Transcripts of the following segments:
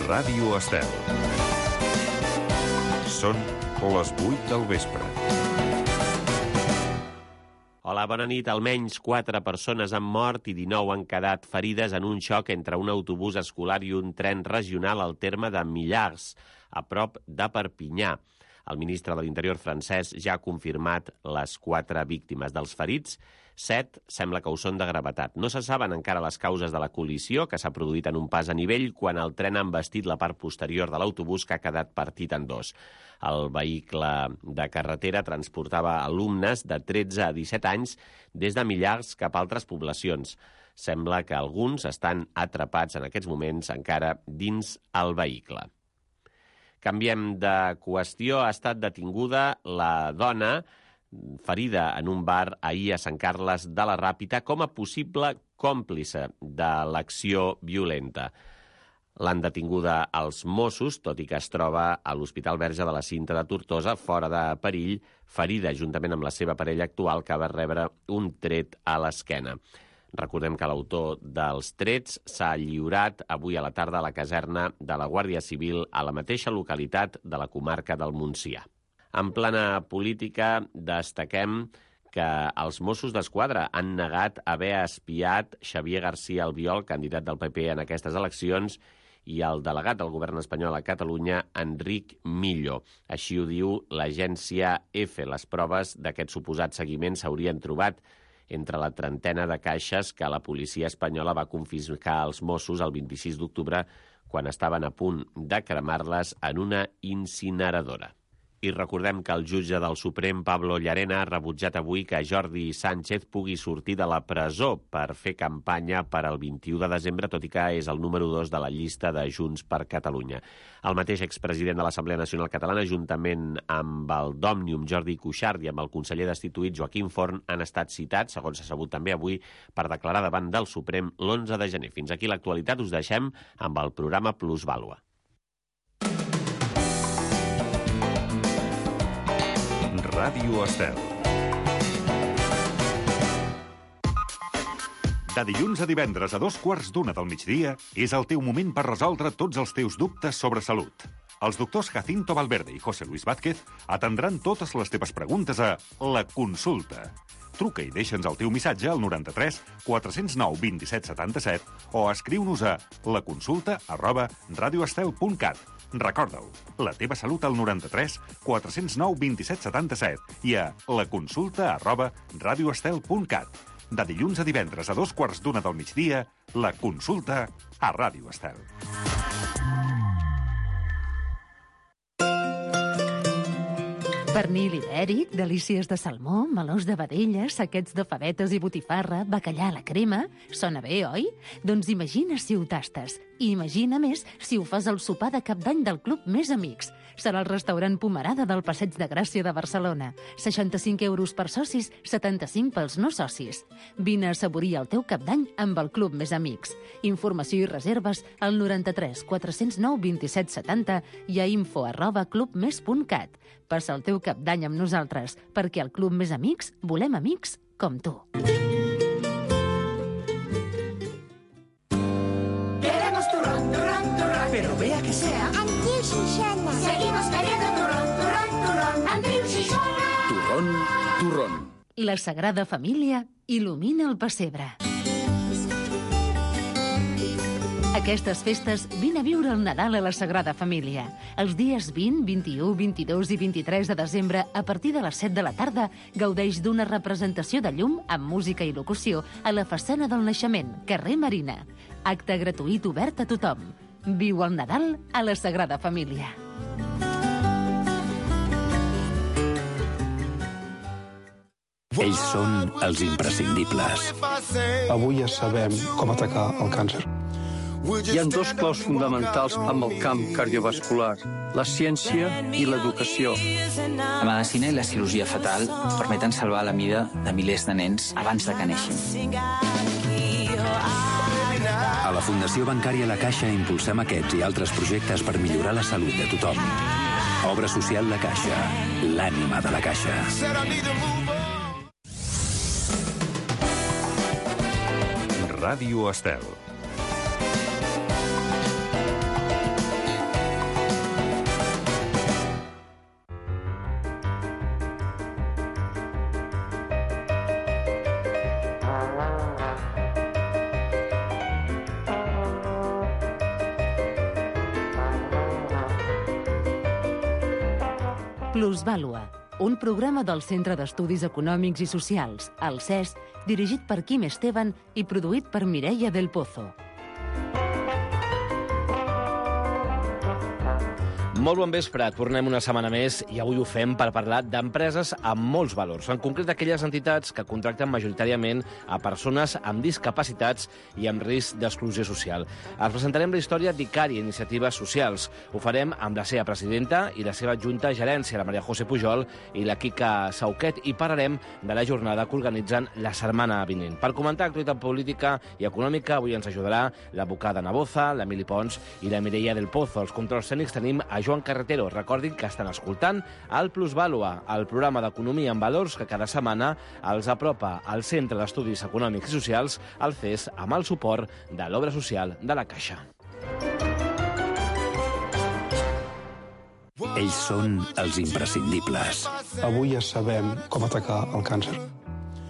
Ràdio Estel. Són les 8 del vespre. Hola, bona nit. Almenys 4 persones han mort i 19 han quedat ferides en un xoc entre un autobús escolar i un tren regional al terme de Millars, a prop de Perpinyà. El ministre de l'Interior francès ja ha confirmat les 4 víctimes. Dels ferits, 7 sembla que ho són de gravetat. No se saben encara les causes de la col·lisió, que s'ha produït en un pas a nivell quan el tren ha envestit la part posterior de l'autobús, que ha quedat partit en 2. El vehicle de carretera transportava alumnes de 13 a 17 anys des de Millars cap a altres poblacions. Sembla que alguns estan atrapats en aquests moments encara dins el vehicle. Canviem de qüestió. Ha estat detinguda la dona ferida en un bar ahir a Sant Carles de la Ràpita com a possible còmplice de l'acció violenta. L'han detinguda els Mossos, tot i que es troba a l'Hospital Verge de la Cinta de Tortosa, fora de perill, ferida juntament amb la seva parella actual, que va rebre un tret a l'esquena. Recordem que l'autor dels trets s'ha lliurat avui a la tarda a la caserna de la Guàrdia Civil a la mateixa localitat de la comarca del Montsià. En plana política, destaquem que els Mossos d'Esquadra han negat haver espiat Xavier García Albiol, candidat del PP en aquestes eleccions, i el delegat del govern espanyol a Catalunya, Enric Millo. Així ho diu l'agència EFE. Les proves d'aquest suposat seguiment s'haurien trobat entre la trentena de caixes que la policia espanyola va confiscar als Mossos el 26 d'octubre quan estaven a punt de cremar-les en una incineradora. I recordem que el jutge del Suprem, Pablo Llarena, ha rebutjat avui que Jordi Sánchez pugui sortir de la presó per fer campanya per al 21 de desembre, tot i que és el número 2 de la llista de Junts per Catalunya. El mateix expresident de l'Assemblea Nacional Catalana, juntament amb el d'Òmnium, Jordi Cuixart, i amb el conseller destituït, Joaquim Forn, han estat citats, segons s'ha sabut també avui, per declarar davant del Suprem l'11 de gener. Fins aquí l'actualitat. Us deixem amb el programa Plusvàlua. Ràdio Estel. De dilluns a divendres a 2:15 del migdia és el teu moment per resoldre tots els teus dubtes sobre salut. Els doctors Jacinto Valverde i José Luis Vázquez atendran totes les teves preguntes a La Consulta. Truca i deixa'ns el teu missatge al 93 409 27 77 o escriu-nos a laconsulta@radioestel.cat. Recorda-ho, la teva salut al 93 409 27 77 i a laconsulta@radioestel.cat. De dilluns a divendres a 2:15 del migdia, La Consulta a Ràdio Estel. Pernil ibèric, delícies de salmó, melons de vedella, saquets de favetes i botifarra, bacallà a la crema... Sona bé, oi? Doncs imagina si ho tastes. I imagina més si ho fas al sopar de Cap d'Any del Club Més Amics. Serà el restaurant Pomerada del Passeig de Gràcia de Barcelona. 65 euros per socis, 75 pels no socis. Vine a assaborir el teu Cap d'Any amb el Club Més Amics. Informació i reserves al 93 409 27 70 i a info@clubmes.cat. Passa el teu Cap d'Any amb nosaltres, perquè al Club Més Amics volem amics com tu. Queremos turrón, turrón, turrón, pero vea que sea Andreu Xixona. Seguimos queriendo turrón, turrón, turrón, Andreu Xixona. Turrón, turrón. La Sagrada Família il·lumina el pessebre. Aquestes festes, vine a viure el Nadal a la Sagrada Família. Els dies 20, 21, 22 i 23 de desembre, a partir de les 7 de la tarda, gaudeix d'una representació de llum amb música i locució a la façana del Naixement, carrer Marina. Acte gratuït obert a tothom. Viu el Nadal a la Sagrada Família. Ells són els imprescindibles. Avui ja sabem com atacar el càncer. Hi ha 2 claus fonamentals amb el camp cardiovascular, la ciència i l'educació. La medicina i la cirurgia fetal permeten salvar la vida de milers de nens abans de que neixin. A la Fundació Bancària La Caixa impulsem aquests i altres projectes per millorar la salut de tothom. Obra social La Caixa, l'ànima de la Caixa. Ràdio Estel. Plusvàlua, un programa del Centre d'Estudis Econòmics i Socials, el CES, dirigit per Quim Esteban i produït per Mireia del Pozo. Molt bon vespre, tornem una setmana més i avui ho fem per parlar d'empreses amb molts valors, en concret d'aquelles entitats que contracten majoritàriament a persones amb discapacitats i amb risc d'exclusió social. Els presentarem la història d'Icària Iniciatives Socials. Ho farem amb la seva presidenta i la seva junta gerència, la Maria José Pujol i la Quica Sauquet, i parlarem de la jornada que organitzen la setmana vinent. Per comentar l'actualitat política i econòmica, avui ens ajudarà l'advocada Naboza, l'Emili Pons i la Mireia del Pozo. Els controls tècnics tenim a Joan Carretero. Recordin que estan escoltant el Plusvàlua, el programa d'economia en valors que cada setmana els apropa al Centre d'Estudis Econòmics i Socials, el CES, amb el suport de l'Obra Social de la Caixa. Ells són els imprescindibles. Avui ja sabem com atacar el càncer.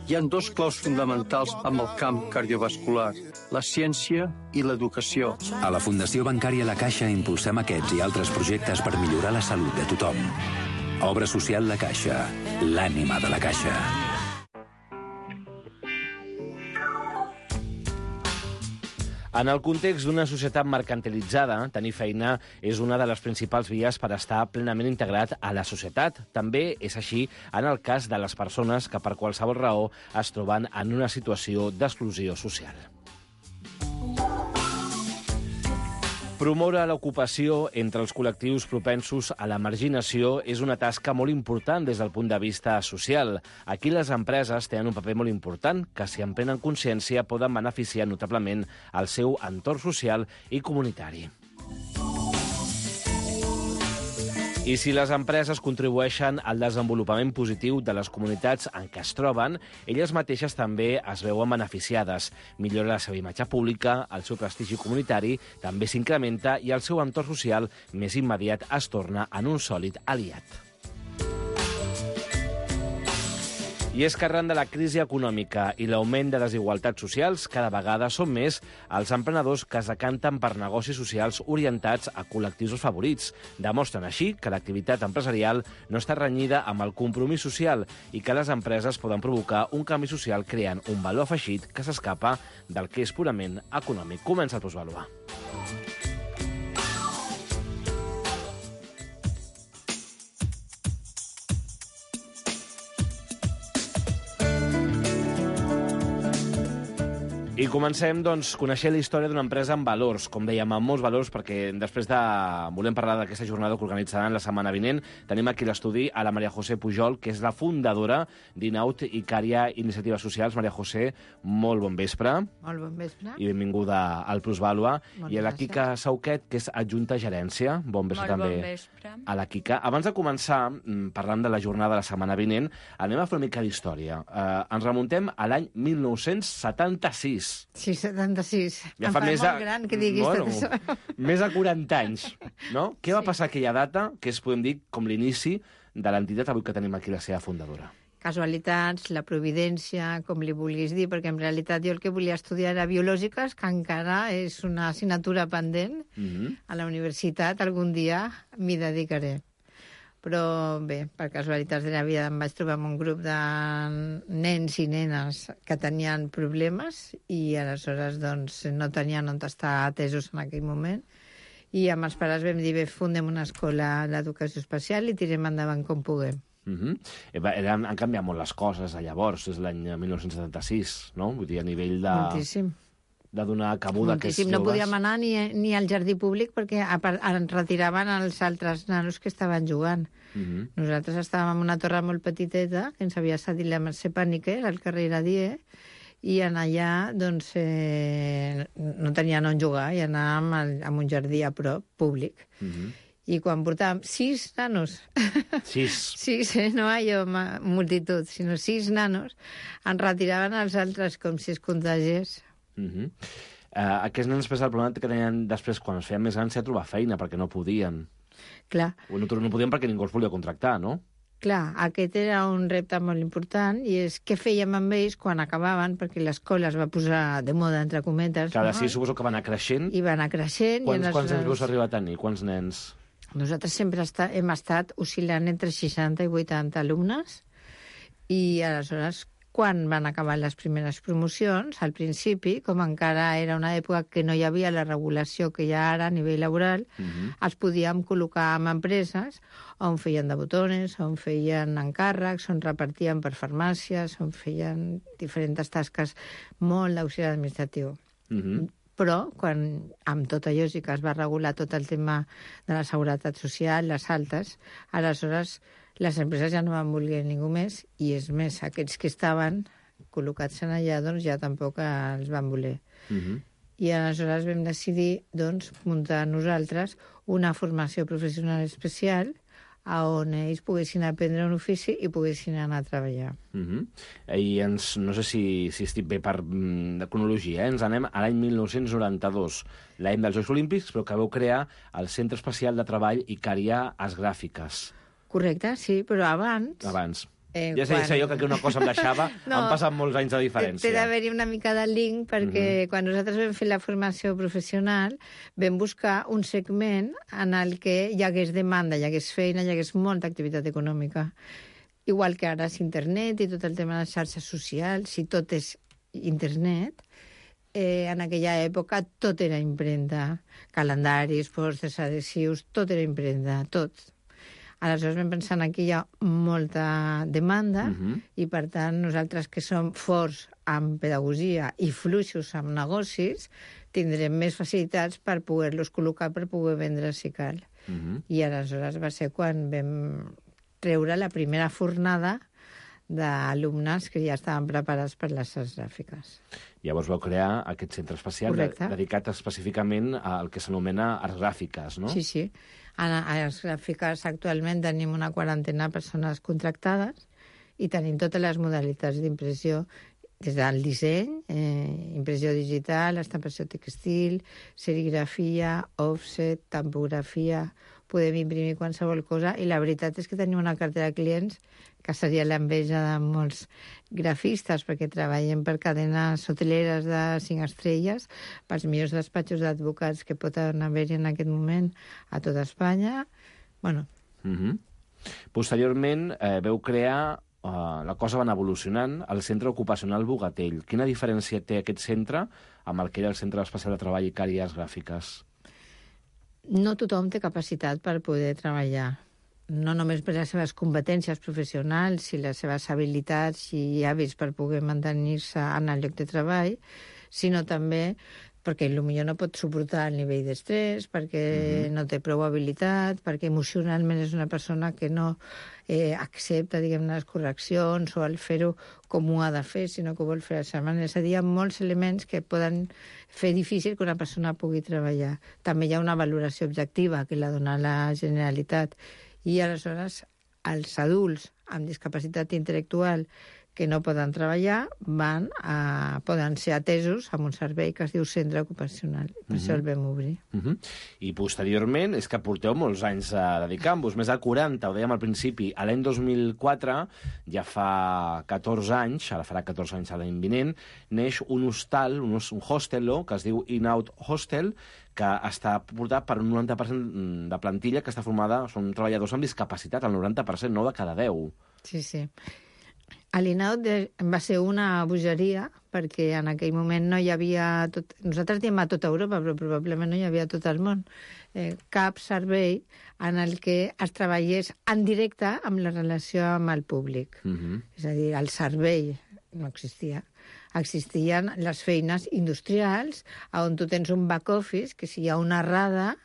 Hi ha dos claus fonamentals amb el camp cardiovascular, la ciència i l'educació. A la Fundació Bancària La Caixa impulsem aquests i altres projectes per millorar la salut de tothom. Obra social La Caixa, l'ànima de la Caixa. En el context d'una societat mercantilitzada, tenir feina és una de les principals vies per estar plenament integrat a la societat. També és així en el cas de les persones que per qualsevol raó es troben en una situació d'exclusió social. Promoure l'ocupació entre els col·lectius propensos a la marginació és una tasca molt important des del punt de vista social. Aquí les empreses tenen un paper molt important que, si en prenen consciència, poden beneficiar notablement el seu entorn social i comunitari. I si les empreses contribueixen al desenvolupament positiu de les comunitats en què es troben, elles mateixes també es veuen beneficiades. Millora la seva imatge pública, el seu prestigi comunitari també s'incrementa i el seu entorn social més immediat es torna en un sòlid aliat. I és que arran de la crisi econòmica i l'augment de desigualtats socials, cada vegada són més els emprenedors que es decanten per negocis socials orientats a col·lectius favorits. Demostren així que l'activitat empresarial no està renyida amb el compromís social i que les empreses poden provocar un canvi social creant un valor afegit que s'escapa del que és purament econòmic. Comença el Plusvàlua. I comencem, doncs, coneixent la història d'una empresa amb valors, com dèiem, amb molts valors, perquè després volem parlar d'aquesta jornada que organitzaran la setmana vinent. Tenim aquí a l'estudi a la Maria José Pujol, que és la fundadora d'Inaut Icària Iniciatives Socials. Maria José, molt bon vespre. Molt bon vespre. I benvinguda al Plusvàlua. I a la gràcies. Quica Sauquet, que és adjunta gerència. Bon vespre també bon vespre. a la Quica. Abans de començar, parlant de la jornada de la setmana vinent, anem a fer una mica d'història. Ens remuntem a l'any 1976. Sí, 76. Ja em fa fa més molt gran que diguis tot això. Més de 40 anys, no? Què va Sí. passar aquella data, que és, podem dir, com l'inici de l'entitat avui que tenim aquí la seva fundadora? Casualitats, la providència, com li vulguis dir, perquè en realitat jo el que volia estudiar era biològiques, que encara és una assignatura pendent. A la universitat algun dia m'hi dedicaré. Però bé, per casualitats de la vida em vaig trobar amb un grup de nens i nenes que tenien problemes i aleshores doncs, no tenien on estar atesos en aquell moment. I amb els pares vam dir, bé, fundem una escola d'educació especial i tirem endavant com puguem. Han canviat molt les coses a llavors, és l'any 1976, no? Vull dir, a nivell de... Moltíssim. De donar cabuda a aquests Moltíssim. No joves. podíem anar ni al jardí públic perquè ens retiraven els altres nanos que estaven jugant. Nosaltres estàvem en una torre molt petiteta que ens havia cedit la Mercè Pàniker al carrer Iradier i en allà doncs, no tenien on jugar i anàvem a un jardí a prop, públic. I quan portàvem 6 nanos, 6, no allò multitud, sinó 6 nanos, ens retiraven els altres com si es contagiés. Aquests nens, després, el problema que tenien després, quan es feien més grans, era trobar feina, perquè no podien. Clar. No podien perquè ningú els volia contractar, no? Clar, aquest era un repte molt important i és què fèiem amb ells quan acabaven, perquè l'escola es va posar de moda, entre cometes. Clar, sí, suposo que va anar creixent. I va anar creixent. Quants nens veus arribar a tenir? Quants nens? Nosaltres sempre hem estat oscil·lant entre 60 i 80 alumnes i aleshores quan van acabar les primeres promocions, al principi, com encara era una època que no hi havia la regulació que hi ha ara a nivell laboral, els podíem col·locar en empreses on feien de botones, on feien encàrrecs, on repartien per farmàcies, on feien diferents tasques molt d'auxiliar administratiu. Però, quan amb tot allò sí que es va regular tot el tema de la seguretat social, les altes, aleshores les empreses ja no van voler ningú més, i és més, aquells que estaven col·locats en allà, doncs ja tampoc els van voler. I aleshores vam decidir, doncs, muntar nosaltres una formació professional especial on ells poguessin aprendre un ofici i poguessin anar a treballar. I no sé si estic bé de cronologia, ens anem a l'any 1992, l'any dels Jocs Olímpics, però que vau crear el Centre Especial de Treball Icària Arts Gràfiques. Correcte, sí, però abans... Abans. Ja sé jo que una cosa em deixava, han passat molts anys de diferència. Té d'haver-hi una mica de link, perquè quan nosaltres vam fer la formació professional vam buscar un segment en el que hi hagués demanda, hi hagués feina, hi hagués molta activitat econòmica. Igual que ara és internet i tot el tema de les xarxes socials, si tot és internet, en aquella època tot era impremta. Calendaris, pòsters, adhesius, tot era impremta, tot. Aleshores vam pensar que aquí hi ha molta demanda i, per tant, nosaltres que som forts en pedagogia i fluixos en negocis, tindrem més facilitats per poder-los col·locar per poder vendre si cal. I aleshores va ser quan vam treure la primera fornada d'alumnes que ja estaven preparats per les arts gràfiques. Llavors vau crear aquest centre especial dedicat específicament al que s'anomena arts gràfiques, no? Sí, sí. A les gràfiques actualment tenim una quarantena de persones contractades i tenim totes les modalitats d'impressió, des del disseny, impressió digital, estampació textil, serigrafia, offset, tampografia, podem imprimir qualsevol cosa, i la veritat és que tenim una cartera de clients que seria l'enveja de molts grafistes, perquè treballem per cadenes hoteleres de 5 estrelles, pels millors despatxos d'advocats que poden haver-hi en aquest moment a tota Espanya. Bueno. Posteriorment veu crear, la cosa va anar evolucionant, el Centre Ocupacional Bogatell. Quina diferència té aquest centre amb el que era el Centre Especial de Treball Icària Arts Gràfiques? No tothom té capacitat per poder treballar. No només per les seves competències professionals i les seves habilitats i hàbits per poder mantenir-se en el lloc de treball, sinó també perquè potser no pot suportar el nivell d'estrès, perquè no té prou habilitat, perquè emocionalment és una persona que no accepta, diguem-ne, les correccions o el fer-ho com ho ha de fer, sinó que ho vol fer a la seva manera. És a dir, hi ha molts elements que poden fer difícil que una persona pugui treballar. També hi ha una valoració objectiva que la dona la Generalitat. I aleshores els adults amb discapacitat intel·lectual que no poden treballar poden ser atesos amb un servei que es diu centre ocupacional. Per això el vam obrir. I posteriorment, és que porteu molts anys dedicant-vos, més de 40, ho dèiem al principi. A l'any 2004, ja fa 14 anys, ara farà 14 anys l'any vinent, neix un hostal, un hostel, que es diu In-Out Hostel, que està portat per un 90% de plantilla que està formada, són treballadors amb discapacitat, el 90%, 9 de cada 10. Sí, sí. L'Inaut va ser una bogeria perquè en aquell moment no hi havia... Nosaltres diem a tota Europa, però probablement no hi havia a tot el món. Cap servei en el que es treballés en directe amb la relació amb el públic. És a dir, el servei no existia. Existien les feines industrials on tu tens un back office que si hi ha una errada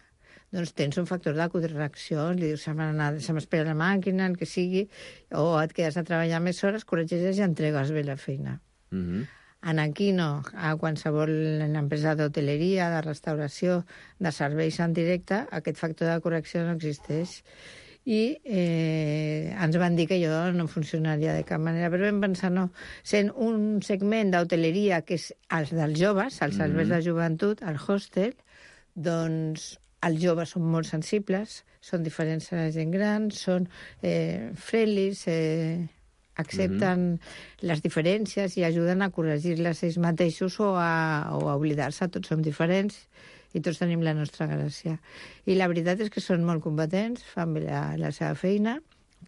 doncs tens un factor de correcció, li dius, se m'espera la màquina, el que sigui, o et quedes a treballar més hores, corregeixes i entregues bé la feina. En aquí no, a qualsevol empresa d'hoteleria, de restauració, de serveis en directe, aquest factor de correcció no existeix. I ens van dir que allò no funcionaria de cap manera, però vam pensar, no, sent un segment d'hoteleria que és els dels joves, els serveis de joventut, el hostel, doncs els joves són molt sensibles, són diferents a la gent gran, són friendly, accepten les diferències i ajuden a corregir-les ells mateixos o a oblidar-se, tots som diferents, i tots tenim la nostra gràcia. I la veritat és que són molt competents, fan bé la seva feina,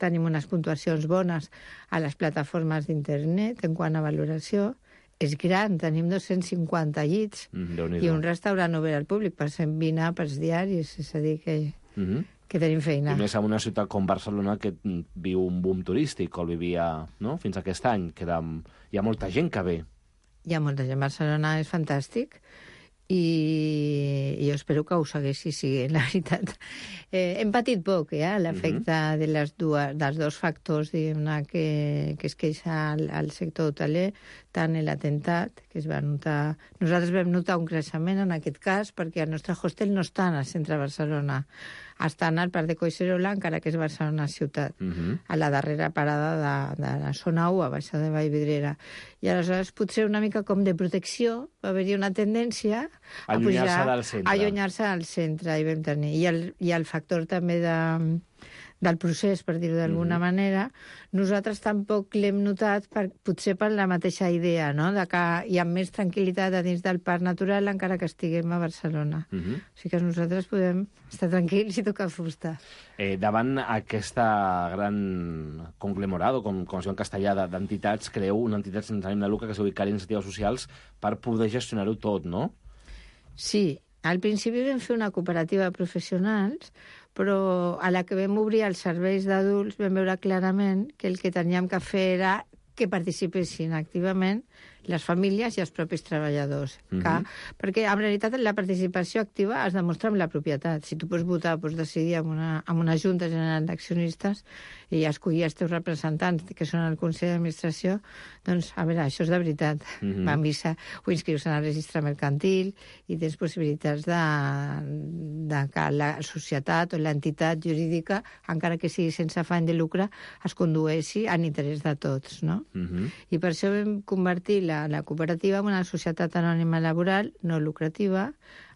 tenim unes puntuacions bones a les plataformes d'internet en quant a valoració. És gran, tenim 250 llits i un restaurant obert al públic per 120 àpats diaris, és a dir que tenim feina. I més en una ciutat com Barcelona que viu un boom turístic, o el vivia fins aquest any, que hi ha molta gent que ve. Hi ha molta gent. Barcelona és fantàstic i jo espero que ho segueixi sent, la veritat. Hem patit poc, l'efecte dels dos factors, diguem-ne, que es queixa al sector hoteler, tant l'atemptat, que es va notar... Nosaltres vam notar un creixement en aquest cas perquè el nostre hostel no està al centre de Barcelona, està al Parc de Collserola, encara que és Barcelona ciutat, a la darrera parada de la zona 1, a baixar de Vallvidrera. I aleshores potser una mica com de protecció va haver-hi una tendència a allunyar-se del centre. I vam tenir. I el factor també del procés, per dir-ho d'alguna manera, nosaltres tampoc l'hem notat potser per la mateixa idea, no?, de que hi ha més tranquil·litat a dins del parc natural encara que estiguem a Barcelona. O sigui que nosaltres podem estar tranquils i tocar fusta. Davant aquesta gran conglomerado, com es diu en castellà, d'entitats, creeu una entitat sense ànim de lucre que es diu Icària Iniciatives Socials per poder gestionar-ho tot, no? Sí, al principi vam fer una cooperativa de professionals, però a la que vam obrir els serveis d'adults vam veure clarament que el que teníem que fer era que participessin activament les famílies i els propis treballadors. Perquè, en realitat, la participació activa es demostra amb la propietat. Si tu pots votar, pots decidir en una Junta General d'Accionistes i escollir els teus representants, que són el Consell d'Administració, doncs, a veure, això és de veritat. Van vista, ho inscrius en el registre mercantil i tens possibilitats de que la societat o l'entitat jurídica, encara que sigui sense afany de lucre, es condueixi en interès de tots, no? I per això vam convertir la cooperativa en una societat anònima laboral no lucrativa,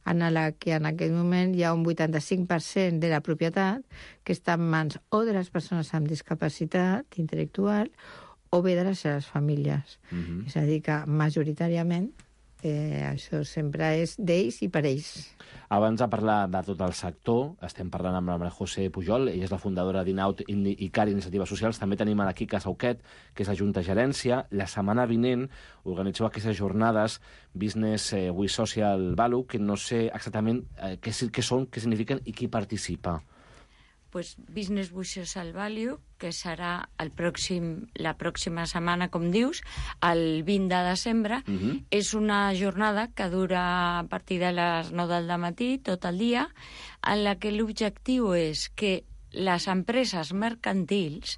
en la que en aquest moment hi ha un 85% de la propietat que està en mans o de les persones amb discapacitat intel·lectual o bé de les seves famílies. És a dir, que majoritàriament això sempre és d'ells i per ells. Abans de parlar de tot el sector, estem parlant amb la Maria José Pujol, ella és la fundadora d'Inaut i Icària Iniciatives Socials. També tenim a la Quica Sauquet, que és la Junta Gerència. La setmana vinent organitzeu aquestes jornades Business with Social Value, que no sé exactament què són, què signifiquen i qui participa. Pues Business with Social Value, que serà la pròxima setmana, com dius, el 20 de desembre. És una jornada que dura a partir de les 9 del matí, tot el dia, en la que l'objectiu és que les empreses mercantils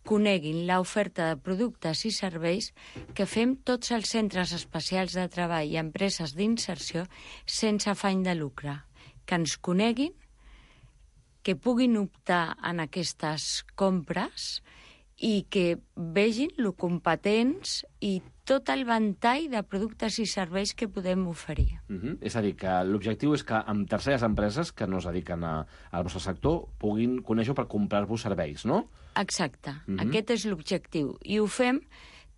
coneguin l'oferta de productes i serveis que fem tots els centres especials de treball i empreses d'inserció sense afany de lucre, que ens coneguin, que puguin optar en aquestes compres i que vegin lo competents i tot el ventall de productes i serveis que podem oferir. És a dir, que l'objectiu és que amb terceres empreses que no es dediquen al vostre sector puguin conèixer per comprar-vos serveis, no? Exacte. Aquest és l'objectiu. I ho fem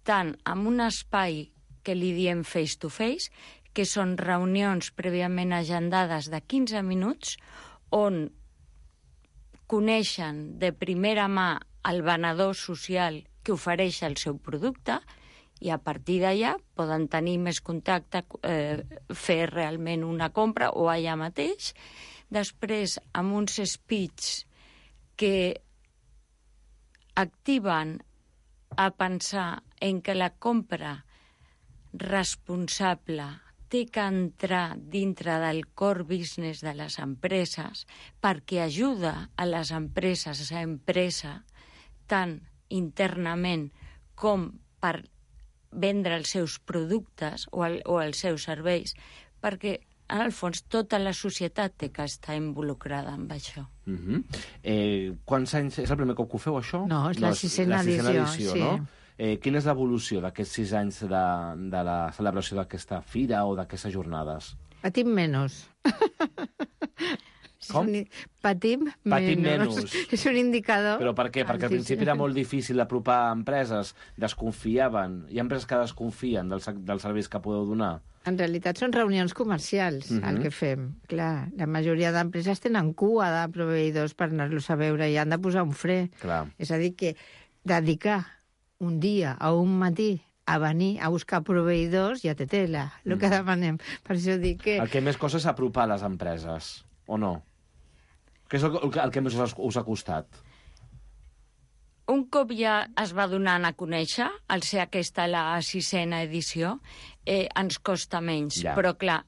tant amb un espai que li diem face-to-face, que són reunions prèviament agendades de 15 minuts, on coneixen de primera mà el venedor social que ofereix el seu producte i a partir d'allà poden tenir més contacte, fer realment una compra o allà mateix. Després, amb uns speech que activen a pensar en que la compra responsable té que entrar dintre del core business de les empreses perquè ajuda a les empreses a ser empresa tant internament com per vendre els seus productes o els seus serveis, perquè en el fons tota la societat té que estar involucrada amb això. Quants anys? És el primer cop que ho feu, això? No, és la sisena edició, sí. No? Quina és l'evolució d'aquests 6 anys de la celebració d'aquesta fira o d'aquestes jornades? Patim menys. Com? Patim menys. És un indicador. Però per què? Perquè al principi era molt difícil apropar empreses, desconfiaven. Hi ha empreses que desconfien dels serveis que podeu donar. En realitat són reunions comercials, el que fem. Clar, la majoria d'empreses tenen cua de proveïdors per anar-los a veure i han de posar un fre. Clar. És a dir, que dedicar un dia o un matí a venir a buscar proveïdors ja té tela, el que demanem. Per això dic que... El que més costa és apropar les empreses, o no? Què és el que més us ha costat? Un cop ja es va donant a conèixer, al ser aquesta la 6a edició, ens costa menys. Ja. Però, clar,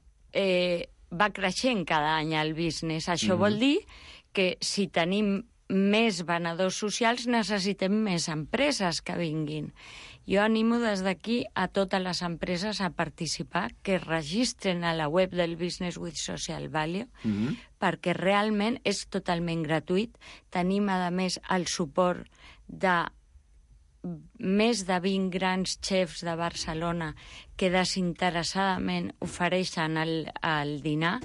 va creixent cada any el business. Això vol dir que si tenim més venedors socials necessitem més empreses que vinguin. Jo animo des d'aquí a totes les empreses a participar, que es registren a la web del Business with Social Value, perquè realment és totalment gratuït. Tenim, a més, el suport de més de 20 grans xefs de Barcelona que desinteressadament ofereixen el dinar.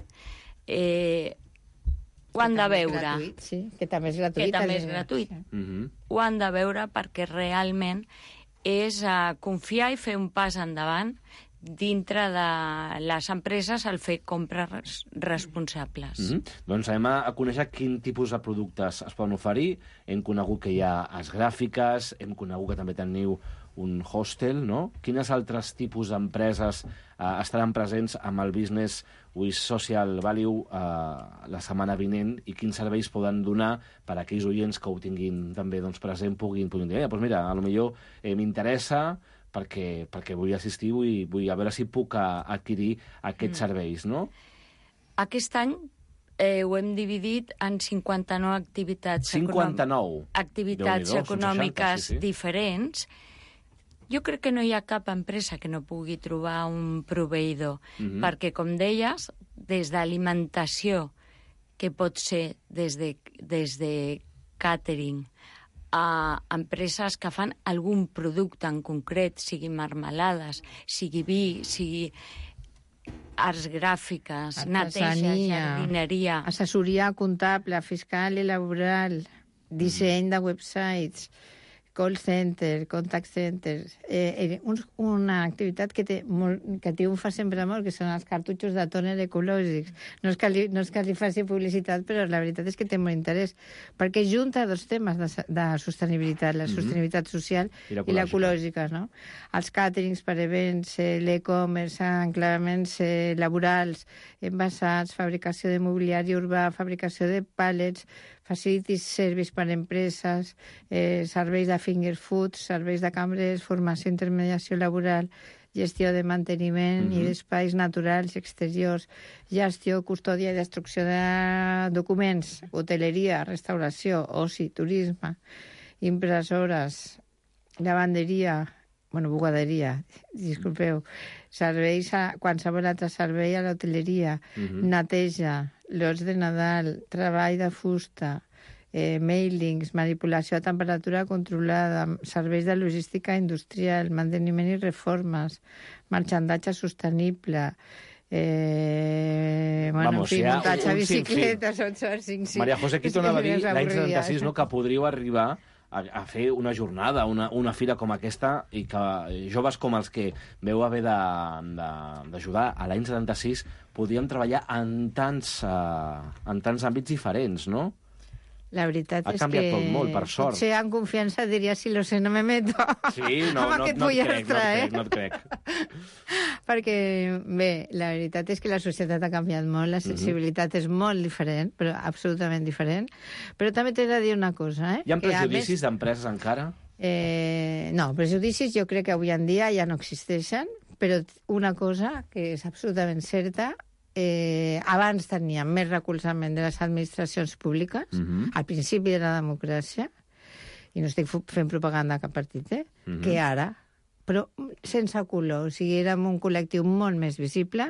Ho han de veure. Gratuït, sí, que també és gratuït. Que també és gratuït. Ho han de veure perquè realment és confiar i fer un pas endavant dintre de les empreses al fer compres responsables. Doncs anem a conèixer quin tipus de productes es poden oferir. Hem conegut que hi ha gràfiques, hem conegut que també teniu un hostel, no? Quines altres tipus d'empreses estaran presents amb el Business with Social Value la setmana vinent i quins serveis poden donar per a aquells oients que ho tinguin també present, puguin dir, doncs mira, potser m'interessa perquè vull assistir, vull a veure si puc adquirir aquests serveis, no? Aquest any ho hem dividit en 59 activitats 59? Activitats econòmiques diferents. Jo crec que no hi ha cap empresa que no pugui trobar un proveïdor, perquè, com deies, des d'alimentació, que pot ser des de catering, a empreses que fan algun producte en concret, sigui marmelades, sigui vi, sigui arts gràfiques, neteja, jardineria... Assessoria comptable, fiscal i laboral, disseny de websites, call center, contact center... Una activitat que triomfa sempre molt, que són els cartutxos de tòner ecològics. No és que li faci publicitat, però la veritat és que té molt interès, perquè junta dos temes de sostenibilitat, la sostenibilitat social i l'ecològica, no? Els càterings per events, l'e-commerce, enclavaments laborals, envasats, fabricació de mobiliari urbà, fabricació de pallets, facilities service per a empreses, serveis de finger foods, serveis de cambres, formació i intermediació laboral, gestió de manteniment i d'espais naturals i exteriors, gestió, custòdia i destrucció de documents, hoteleria, restauració, oci, turisme, impressores, lavanderia, bugaderia, disculpeu, serveis, qualsevol altre servei a l'hoteleria, neteja, lots de Nadal, treball de fusta, mailings, manipulació a temperatura controlada, serveis de logística industrial, manteniment i reformes, marxandatge sostenible, muntatge de bicicletes, 8 hores, 5. Maria José, aquí tornava a dir l'any 76, no?, que podríeu arribar a fer una jornada, una fira com aquesta, i que joves com els que veu haver d'ajudar a l'any 76 podíem treballar en tants àmbits diferents, no? La veritat és que... Ha canviat tot molt, per sort. Potser en confiança diria, si lo sé, no me meto. Sí, no et crec. Perquè, bé, la veritat és que la societat ha canviat molt, la sensibilitat és molt diferent, però absolutament diferent. Però també t'he de dir una cosa, Hi ha prejudicis d'empreses encara? No, prejudicis jo crec que avui en dia ja no existeixen, però una cosa que és absolutament certa, abans teníem més recolzament de les administracions públiques, al principi de la democràcia, i no estic fent propaganda a cap partit, que ara, però sense color. O sigui, érem un col·lectiu molt més visible,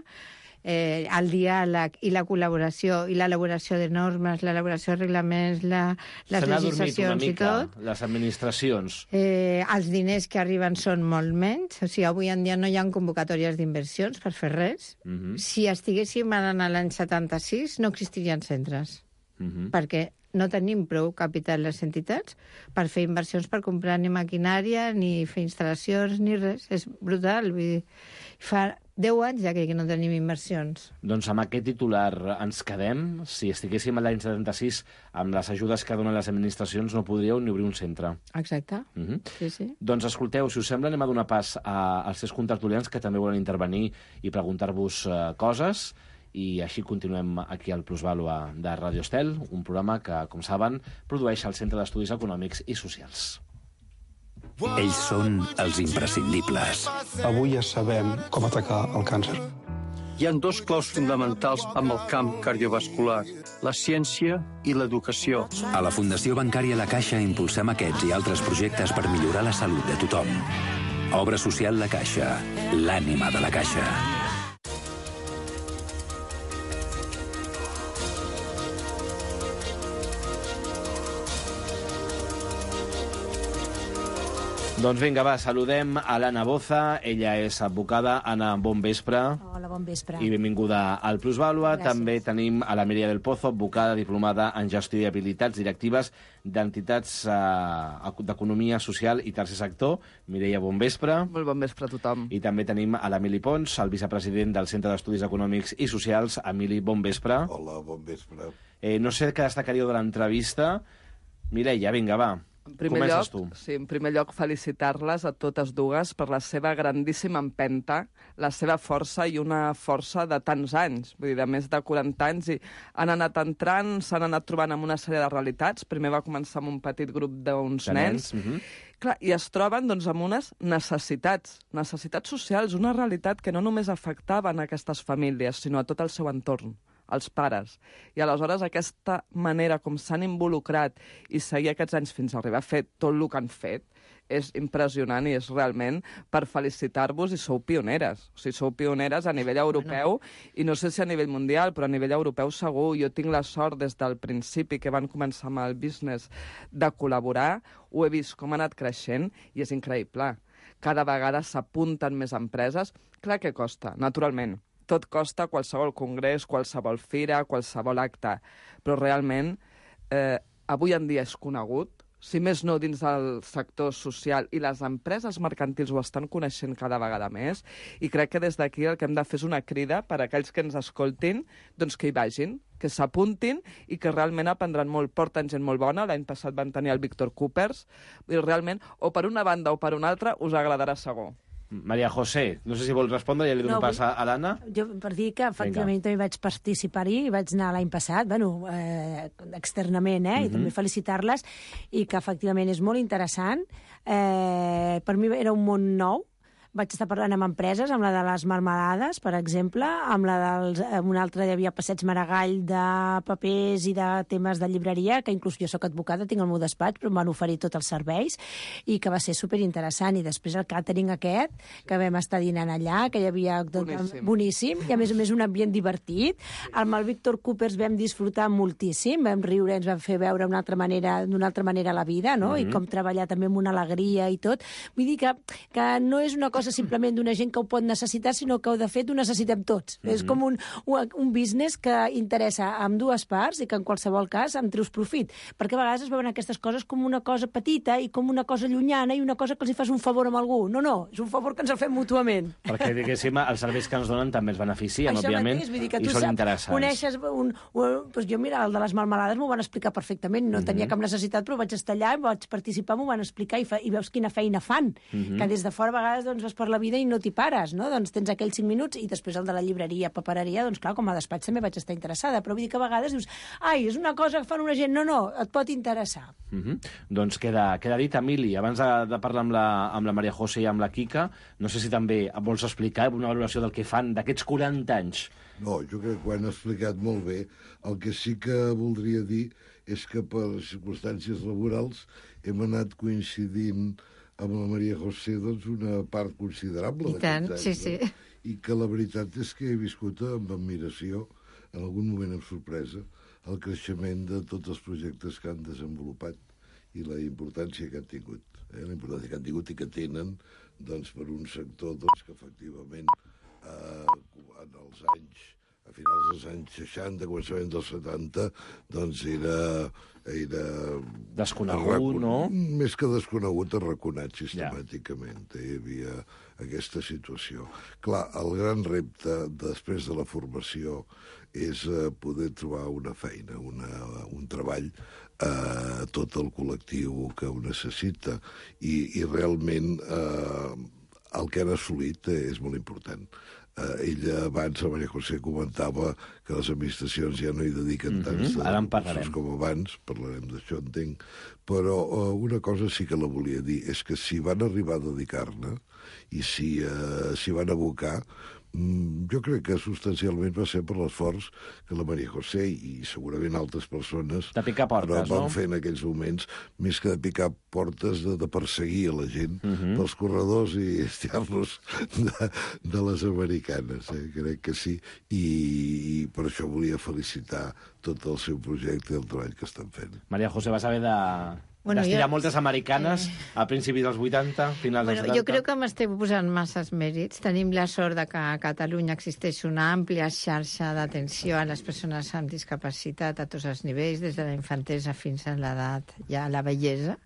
el diàleg i la col·laboració i l'elaboració de normes, l'elaboració de reglaments, les legislacions i tot. Les administracions. Els diners que arriben són molt menys. O sigui, avui en dia no hi ha convocatòries d'inversions per fer res. Si estiguéssim en l'any 76 no existirien centres. perquè no tenim prou capital les entitats per fer inversions, per comprar ni maquinària, ni fer instal·lacions, ni res. És brutal. Vull dir, fa 10 anys ja que no tenim inversions. Doncs amb aquest titular ens quedem. Si estiguéssim a l'any 76, amb les ajudes que donen les administracions, no podríeu ni obrir un centre. Exacte. Sí. Doncs escolteu, si us sembla, anem a donar pas als 3 contertulians que també volen intervenir i preguntar-vos coses. I així continuem aquí al Plusvàlua de Radio Estel, un programa que, com saben, produeix el Centre d'Estudis Econòmics i Socials. Ells són els imprescindibles. Avui ja sabem com atacar el càncer. Hi ha 2 claus fonamentals amb el camp cardiovascular, la ciència i l'educació. A la Fundació Bancària La Caixa impulsem aquests i altres projectes per millorar la salut de tothom. Obra social La Caixa, l'ànima de la Caixa. Doncs vinga, va, saludem a l'Anna Boza. Ella és advocada. Anna, bon vespre. Hola, bon vespre. I benvinguda al Plusvàlua. Gràcies. També tenim a la Mireia del Pozo, advocada diplomada en gestió i habilitats directives d'entitats d'economia social i tercer sector. Mireia, bon vespre. Molt bon vespre a tothom. I també tenim a l'Emili Pons, el vicepresident del Centre d'Estudis Econòmics i Socials. Emili, bon vespre. Hola, bon vespre. No sé què destacaríeu de l'entrevista. Mireia, vinga, va. En primer lloc, felicitar-les a totes dues per la seva grandíssima empenta, la seva força i una força de tants anys, vull dir, de més de 40 anys, i han anat entrant, s'han anat trobant amb una sèrie de realitats. Primer va començar amb un petit grup d'uns nens, clar, i es troben doncs, amb unes necessitats socials, una realitat que no només afectaven aquestes famílies, sinó a tot el seu entorn, els pares. I aleshores aquesta manera com s'han involucrat i seguir aquests anys fins a arribar a fer tot el que han fet és impressionant i és realment per felicitar-vos, i sou pioneres. O sigui, sou pioneres a nivell europeu i no sé si a nivell mundial, però a nivell europeu segur. Jo tinc la sort des del principi que van començar amb el business de col·laborar, ho he vist com ha anat creixent i és increïble. Cada vegada s'apunten més empreses. Clar que costa, naturalment. Tot costa, qualsevol congrés, qualsevol fira, qualsevol acte. Però realment, avui en dia és conegut, si més no dins del sector social, i les empreses mercantils ho estan coneixent cada vegada més, i crec que des d'aquí el que hem de fer és una crida per a aquells que ens escoltin, doncs que hi vagin, que s'apuntin i que realment aprendran molt. Porten gent molt bona, l'any passat van tenir el Víctor Coopers, i realment, o per una banda o per una altra, us agradarà segur. Maria José, no sé si vols respondre, ja li dono pas a l'Anna. Jo, per dir que, efectivament, també vaig participar-hi, vaig anar l'any passat, externament, i també felicitar-les, i que, efectivament, és molt interessant. Per mi era un món nou. Vaig estar parlant amb empreses, amb la de les marmelades, per exemple, amb la una altra hi havia Passeig Maragall de papers i de temes de llibreria, que inclús jo soc advocada, tinc el meu despatx, però em van oferir tots els serveis, i que va ser superinteressant. I després el càtering aquest, que vam estar dinant allà, que hi havia boníssim, i a més un ambient divertit. Amb el Víctor Coopers vam disfrutar moltíssim, vam riure, ens vam fer veure d'una altra manera la vida, no? I com treballar també amb una alegria i tot. Vull dir que no és una cosa simplement d'una gent que ho pot necessitar, sinó que, de fet, ho necessitem tots. És com un business que interessa a ambdues parts i que, en qualsevol cas, en treus profit. Perquè a vegades es veuen aquestes coses com una cosa petita i com una cosa llunyana i una cosa que els hi fas un favor amb algú. No, és un favor que ens el fem mútuament. Perquè, diguéssim, els serveis que ens donen també els beneficien, òbviament, i són interessants. Coneixes jo, mira, el de les marmelades m'ho van explicar perfectament. No tenia cap necessitat, però vaig estar allà, vaig participar, m'ho van explicar i veus quina feina fan. Que des de fora, a vegades, doncs, per la vida i no t'hi pares, no? Doncs tens aquells 5 minuts i després el de la llibreria, papereria, doncs clar, com a despatx també vaig estar interessada, però vull dir que a vegades dius, és una cosa que fan una gent, no, et pot interessar. Doncs queda dit, Emili, abans de parlar amb la Maria José i amb la Quica, no sé si també vols explicar una valoració del que fan d'aquests 40 anys. No, jo crec que ho han explicat molt bé. El que sí que voldria dir és que per circumstàncies laborals hem anat coincidint amb la Maria José, doncs, una part considerable d'aquests anys. Sí. I que la veritat és que he viscut amb admiració, en algun moment amb sorpresa, el creixement de tots els projectes que han desenvolupat i la importància que han tingut. La importància que han tingut i que tenen, doncs, per un sector que efectivament en els anys a finals dels anys 60, començament dels 70, doncs era desconegut, no? Més que desconegut, arraconat sistemàticament. Hi havia aquesta situació. Clar, el gran repte després de la formació és poder trobar una feina, un treball a tot el col·lectiu que ho necessita. I realment el que han assolit és molt important. Ella abans, la Maria José, comentava que les administracions ja no hi dediquen tants recursos com abans, parlarem d'això, entenc, però una cosa sí que la volia dir, és que si van arribar a dedicar-ne i si van abocar, jo crec que substancialment va ser per l'esforç que la Maria José i segurament altres persones de picar portes, van fer en aquells moments, més que de picar portes, de perseguir a la gent pels corredors i estirar-los de les americanes. Crec que sí, i per això volia felicitar tot el seu projecte i el treball que estan fent. Maria José, vas haver d'estirar moltes americanes a principis dels 80, finals dels 70. Jo crec que m'esteu posant masses mèrits. Tenim la sort de que a Catalunya existeix una àmplia xarxa d'atenció a les persones amb discapacitat a tots els nivells, des de la infantesa fins a l'edat, ja a la vellesa,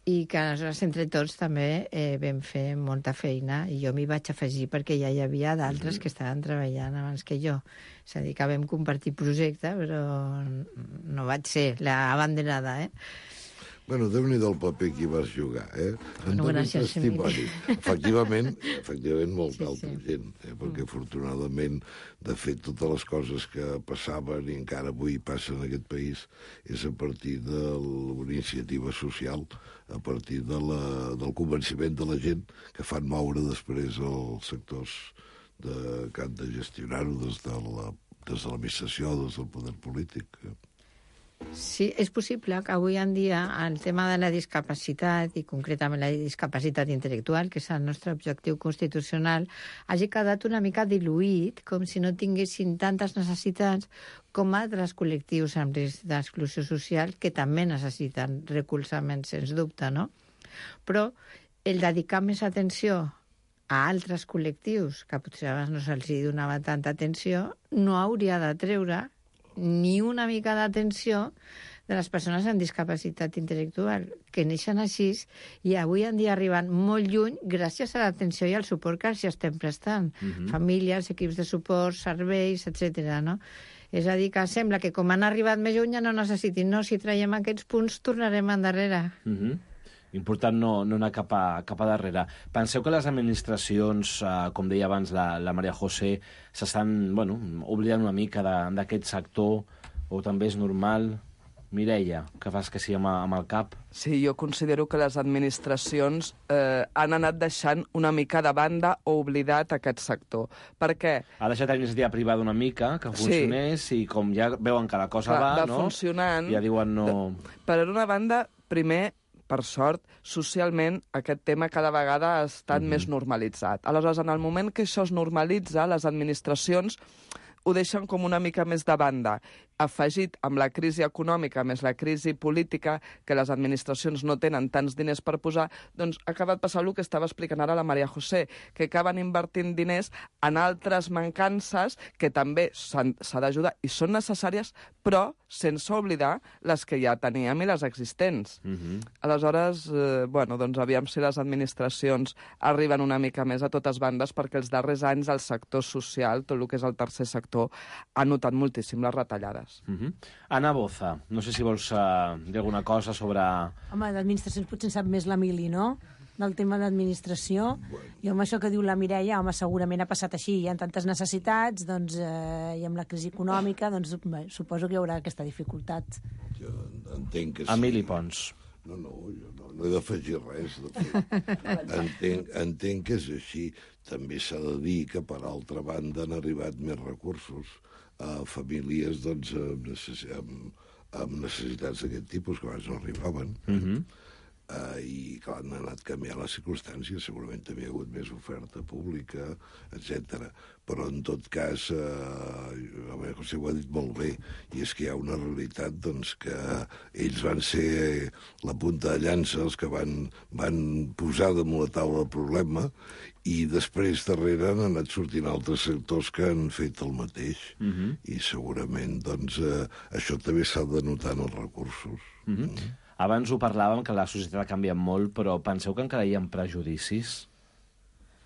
i que aleshores entre tots també vam fer molta feina, i jo m'hi vaig afegir perquè ja hi havia d'altres que estaven treballant abans que jo. És a dir, que vam compartir projecte, però no vaig ser l'abanderada, Bueno, Déu-n'hi-do el paper que hi vas jugar, En Bueno, doni gràcies, testimoni. Efectivament, molta altra gent, perquè afortunadament, de fet, totes les coses que passaven i encara avui passen en aquest país és a partir de l'iniciativa social, a partir del convenciment de la gent que fan moure després els sectors que han de gestionar-ho des de l'administració, des del poder polític. Sí, és possible que avui en dia el tema de la discapacitat, i concretament la discapacitat intel·lectual, que és el nostre objectiu constitucional, hagi quedat una mica diluït, com si no tinguessin tantes necessitats com altres col·lectius amb risc d'exclusió social, que també necessiten recolzament, sens dubte, no? Però el dedicar més atenció a altres col·lectius, que potser abans no se'ls donava tanta atenció, no hauria de treure ni una mica d'atenció de les persones amb discapacitat intel·lectual, que neixen així i avui en dia arriben molt lluny gràcies a l'atenció i al suport que els estem prestant. Famílies, equips de suport, serveis, etc. No? És a dir, que sembla que com han arribat més lluny ja no necessitin. No, si traiem aquests punts tornarem endarrere. Important no anar cap a darrere. Penseu que les administracions, com deia abans la Maria José, s'estan oblidant una mica d'aquest sector, o també és normal? Mireia, que fas que sí amb el cap? Sí, jo considero que les administracions han anat deixant una mica de banda o oblidat aquest sector. Per què? Ha deixat la iniciativa privada una mica, que funcionés, i com ja veuen que la cosa va, funcionant, ja diuen no... Per una banda, primer, per sort, socialment aquest tema cada vegada ha estat més normalitzat. Aleshores, en el moment que això es normalitza, les administracions ho deixen com una mica més de banda. Afegit amb la crisi econòmica més la crisi política, que les administracions no tenen tants diners per posar, doncs ha acabat passant el que estava explicant ara la Maria José, que acaben invertint diners en altres mancances que també s'ha d'ajudar i són necessàries, però sense oblidar les que ja teníem i les existents. Aleshores, doncs aviam si les administracions arriben una mica més a totes bandes, perquè els darrers anys el sector social, tot el que és el tercer sector, ha notat moltíssim les retallades. Anna Boza, no sé si vols dir alguna cosa sobre... Home, d'administracions potser en sap més l'Emili, no?, del tema d'administració. I amb això que diu la Mireia, home, segurament ha passat així. Hi ha tantes necessitats, doncs, i amb la crisi econòmica, doncs, suposo que hi haurà aquesta dificultat. Jo entenc que sí. Emili Pons. No, jo no he d'afegir res. Entenc que és així. També s'ha de dir que, per altra banda, han arribat més recursos a famílies amb necessitats d'aquest tipus, que abans no arribaven. I, clar, han anat canviant les circumstàncies, segurament també hi ha hagut més oferta pública, etc. Però, en tot cas, José ho ha dit molt bé, i és que hi ha una realitat doncs, que ells van ser la punta de llança, els que van posar damunt la taula el problema, i després darrere han anat sortint altres sectors que han fet el mateix. I segurament doncs, això també s'ha de notar en els recursos. Abans ho parlàvem, que la societat ha canviat molt, però penseu que encara hi ha prejudicis?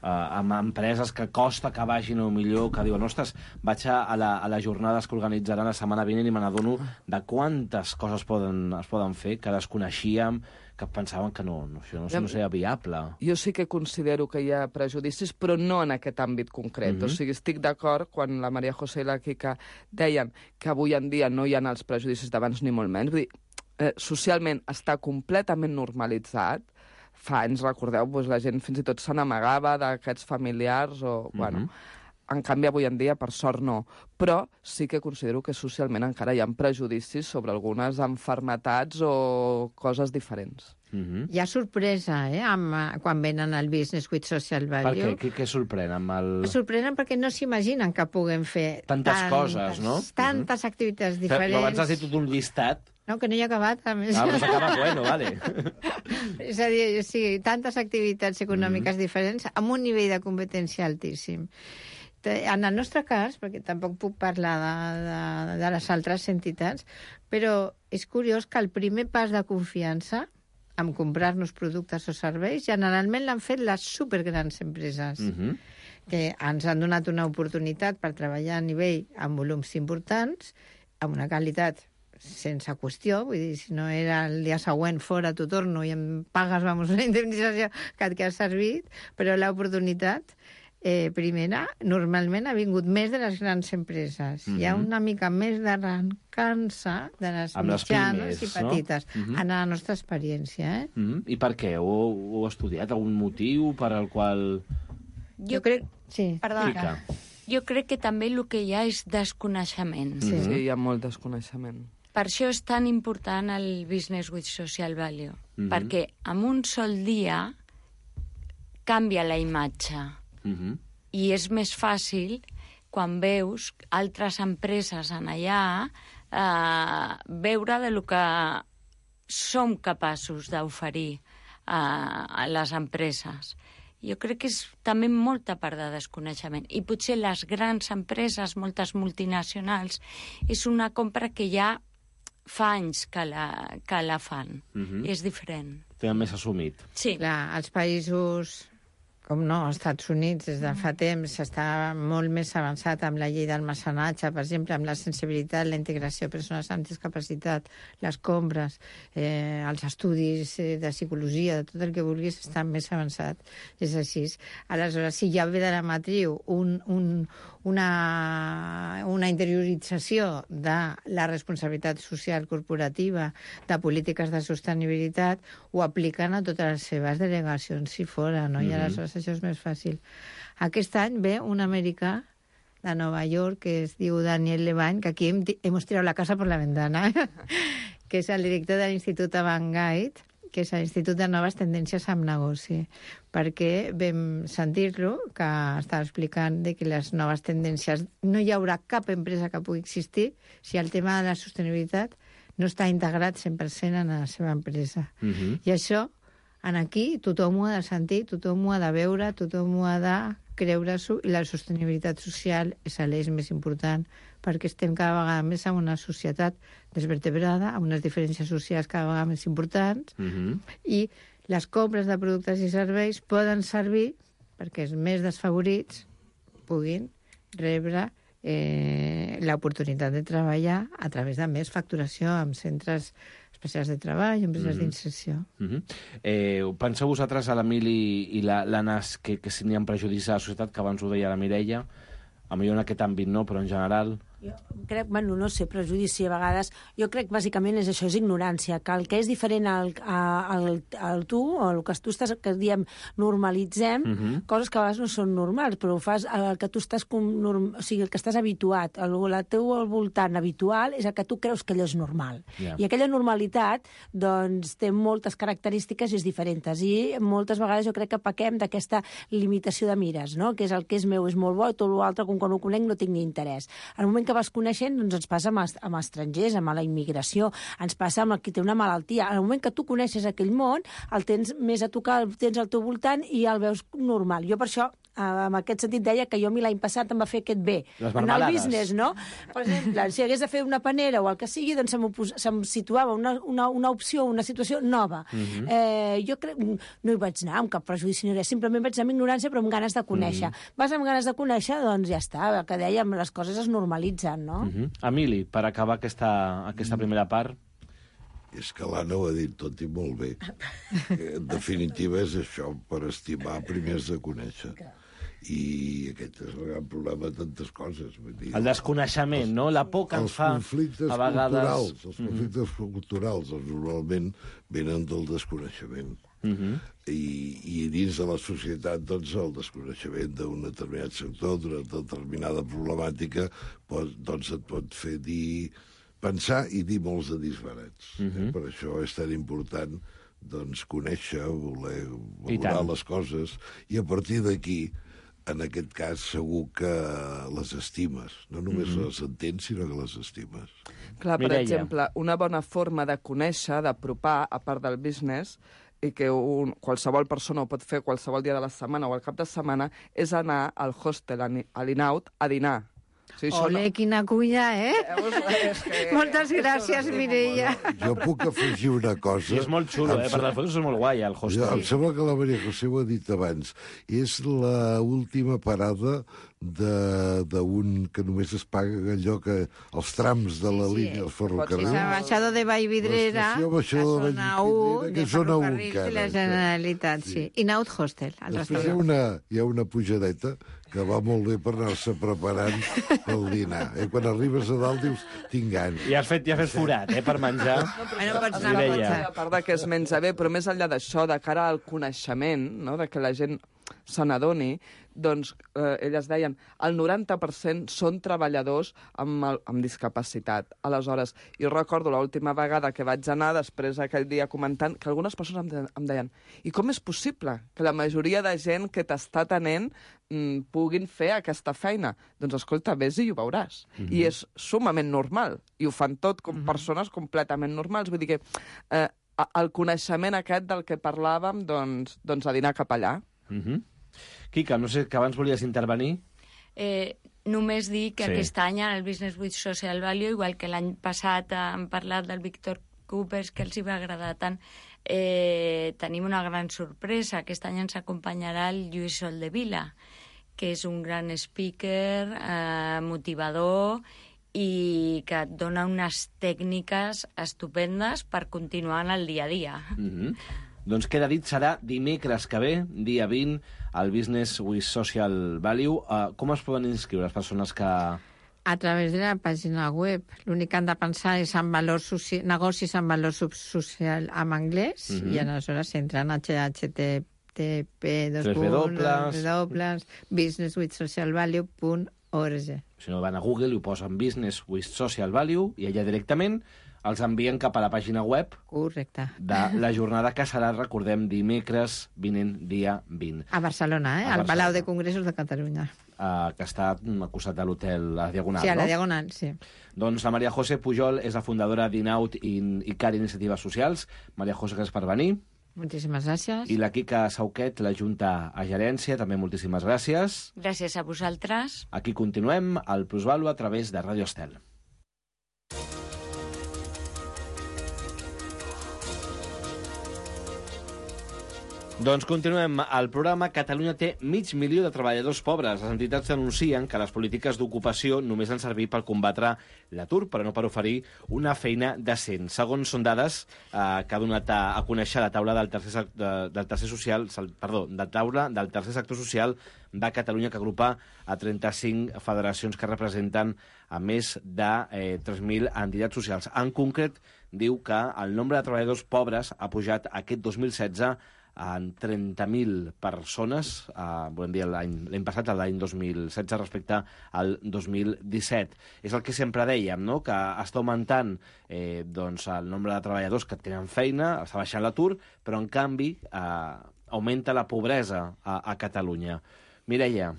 Amb empreses que costa que vagin o millor, que diuen, ostres, vaig a les jornades que organitzaran la setmana vinent i me n'adono de quantes coses es poden fer, que desconeixíem, que pensaven que això no seria viable. Jo sí que considero que hi ha prejudicis, però no en aquest àmbit concret. O sigui, estic d'acord quan la Maria José i la Quica deien que avui en dia no hi ha els prejudicis d'abans ni molt menys. Vull dir, socialment està completament normalitzat. Fa anys, recordeu, la gent fins i tot se n'amagava d'aquests familiars o, bueno... En canvi, avui en dia, per sort, no. Però sí que considero que socialment encara hi ha prejudicis sobre algunes malalties o coses diferents. Hi ha sorpresa, quan venen al Business with Social Value. Per què? Què sorprèn? Sorprenen perquè no s'imaginen que puguem fer tantes coses, no? Tantes activitats diferents. Però abans has dit tot un llistat. No, que no hi ha acabat, a més. No s'ha acabat, bueno, vale. És a dir, sí, tantes activitats econòmiques diferents amb un nivell de competència altíssim. En el nostre cas, perquè tampoc puc parlar de les altres entitats, però és curiós que el primer pas de confiança en comprar-nos productes o serveis generalment l'han fet les supergrans empreses, que ens han donat una oportunitat per treballar a nivell amb volums importants, amb una qualitat sense qüestió, vull dir, si no era el dia següent fora, t'ho torno i em pagues, vamos, una indemnització que et ha servit, però l'oportunitat primera, normalment ha vingut més de les grans empreses. Hi ha una mica més d'arrencança de les mitjanes i petites, en la nostra experiència. I per què? Ho heu estudiat? Algun motiu per al qual... Jo crec... Sí. Perdona. Jo crec que també el que hi ha és desconeixement. Sí, hi ha molt desconeixement. Per això és tan important el Business with Social Value, perquè en un sol dia canvia la imatge. I és més fàcil quan veus altres empreses en allà veure de lo que som capaços d'oferir a les empreses. Jo crec que és també molta part de desconeixement. I potser les grans empreses, moltes multinacionals, és una compra que ja fa anys que la fan. És diferent. Tenen més assumit. Sí. Clar, els països... Com no, als Estats Units des de fa temps està molt més avançat amb la llei del mecenatge, per exemple, amb la sensibilitat, la integració de persones amb discapacitat, les compres, els estudis de psicologia, de tot el que vulguis, està més avançat. És així. Aleshores, si ja ve de la matriu una interiorització de la responsabilitat social corporativa, de polítiques de sostenibilitat, ho apliquen a totes les seves delegacions si fora, no? I aleshores això és més fàcil. Aquest any ve un americà de Nova York que es diu Daniel Levine, que aquí hemos tirado la casa por la ventana, que és el director de l'Institut Avantguide, que és l'Institut de Noves Tendències amb Negoci, perquè vam sentir-lo, que estava explicant que les noves tendències... No hi haurà cap empresa que pugui existir si el tema de la sostenibilitat no està integrat 100% en la seva empresa. I això, aquí, tothom ho ha de sentir, tothom ho ha de veure, tothom ho ha de creure-s'ho, i la sostenibilitat social és l'eix més important, perquè estem cada vegada més en una societat desvertebrada, amb unes diferències socials cada vegada més importants, i les compres de productes i serveis poden servir perquè els més desfavorits puguin rebre l'oportunitat de treballar a través de més facturació amb centres especials de treball, empreses d'inserció. Penseu vosaltres, a l'Emili i l'Anas, que si n'hi ha prejudicis a la societat, que abans ho deia la Mireia, a millor en aquest àmbit no, però en general, Jo crec, bueno, no sé, prejudici a vegades. Jo crec bàsicament és això, és ignorància, que el que és diferent al tu, o el que tu estàs, que diem, normalitzem, coses que a vegades no són normals, però ho fas el que tu estàs, o sigui, el que estàs habituat, el teu al voltant habitual és el que tu creus que allò és normal. I aquella normalitat, doncs, té moltes característiques i és diferents. I moltes vegades jo crec que pequem d'aquesta limitació de mires, no? Que és el que és meu, és molt bo, i tot l'altre, com quan ho conec, no tinc ni interès. En el moment que vas coneixent, doncs ens passa amb estrangers, amb la immigració, ens passa amb el que té una malaltia. En el moment que tu coneixes aquell món, el tens més a tocar, el tens al teu voltant i el veus normal. Jo per això, en aquest sentit, deia que jo a mi l'any passat em va fer aquest bé. Anar al business, no? Per exemple, si hagués de fer una panera o el que sigui, doncs se'm situava una opció, una situació nova. Jo crec, no hi vaig anar amb cap prejudici ni res, simplement vaig anar amb ignorància però amb ganes de conèixer. Vas amb ganes de conèixer, doncs ja està, el que dèiem, les coses es normalitzen, no? Emili, per acabar aquesta primera part... És que l'Anna ho ha dit tot i molt bé. En definitiva és això, per estimar primer has de conèixer. I aquest és el gran problema de tantes coses. El desconeixement, no? La por que ens fa a vegades... Els conflictes culturals normalment venen del desconeixement. I dins de la societat, doncs, el desconeixement d'un determinat sector, d'una determinada problemàtica, doncs et pot fer pensar i dir molts de disbarats. Per això és tan important doncs, conèixer, voler valorar les coses, i a partir d'aquí, en aquest cas, segur que les estimes. No només les entens, sinó que les estimes. Clar, per exemple, una bona forma de conèixer, d'apropar, a part del business, i que qualsevol persona ho pot fer qualsevol dia de la setmana o al cap de setmana, és anar al hostel, a l'Inaut, a dinar. Ole, quina cuina, Moltes gràcies, Mireia. Jo puc afegir una cosa. I és molt xulo, per les fotos és molt guai, el hostel. Em sembla que la Maria José ho ha dit abans. És l'última parada d'un que només es paga allò que els trams de la línia del ferrocarril. És el baixador de Vallvidrera, a zona 1, de ferrocarrils de la Generalitat, sí. Inaut Hostel, al restaurant. Hi ha una pujadeta que va molt bé per anar-se preparant pel dinar. Quan arribes a dalt dius, tinc gana. I has fet forat, per menjar. A part que es menja bé, però més enllà d'això, de cara al coneixement, no?, de que la gent se n'adoni, doncs elles deien el 90% són treballadors amb discapacitat. Aleshores, jo recordo l'última vegada que vaig anar, després aquell dia comentant, que algunes persones em deien i com és possible que la majoria de gent que t'està atenent puguin fer aquesta feina? Doncs escolta, vés i ho veuràs. I és sumament normal. I ho fan tot com persones completament normals. Vull dir que el coneixement aquest del que parlàvem, doncs a dinar cap allà. Quica, no sé, que abans volies intervenir. Només dir que aquest any en el Business with Social Value, igual que l'any passat hem parlat del Víctor Coopers, que els hi va agradar tant, tenim una gran sorpresa. Aquest any ens acompanyarà el Lluís Soldevila, que és un gran speaker, motivador, i que et dona unes tècniques estupendes per continuar en el dia a dia. Doncs queda dit, serà dimecres que ve, dia 20, al Business with Social Value. Com es poden inscriure les persones que... A través de la pàgina web. L'únic que han de pensar és en negocis amb valor social en anglès, i aleshores entren a http://businesswithsocialvalue.org. Si no, van a Google i ho posen Business with Social Value i allà directament els envien cap a la pàgina web de la jornada que serà, recordem, dimecres vinent, dia 20. A Barcelona, al Palau de Congressos de Catalunya. Que està al costat de l'hotel a la Diagonal, no? Sí, a la Diagonal, sí. Doncs la Maria José Pujol és la fundadora d'Inaut i CAR Iniciatives Socials. Maria José, gràcies per venir. Moltíssimes gràcies. I la Quica Sauquet, la Junta a Gerència, també moltíssimes gràcies. Gràcies a vosaltres. Aquí continuem al Plusvalue a través de Ràdio Estel. Doncs continuem. El programa Catalunya té 500.000 de treballadors pobres. Les entitats denuncien que les polítiques d'ocupació només han servit per combatre l'atur, però no per oferir una feina decent. Segons són dades que ha donat a conèixer la taula del tercer sector social de Catalunya, que agrupa a 35 federacions que representen a més de 3.000 entitats socials. En concret, diu que el nombre de treballadors pobres ha pujat aquest 2016 en 30.000 persones, volem dir l'any passat, l'any 2016, respecte al 2017. És el que sempre dèiem, no?, que està augmentant doncs, el nombre de treballadors que tenen feina, està baixant l'atur, però en canvi augmenta la pobresa a Catalunya. Mireia.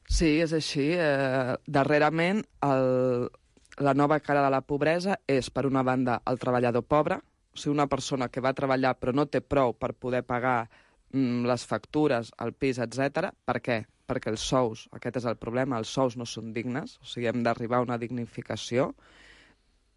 Sí, és així. Darrerament, la nova cara de la pobresa és, per una banda, el treballador pobre, o sigui, una persona que va treballar però no té prou per poder pagar les factures, el pis, etc. Per què? Perquè els sous, aquest és el problema, els sous no són dignes, o sigui, hem d'arribar a una dignificació.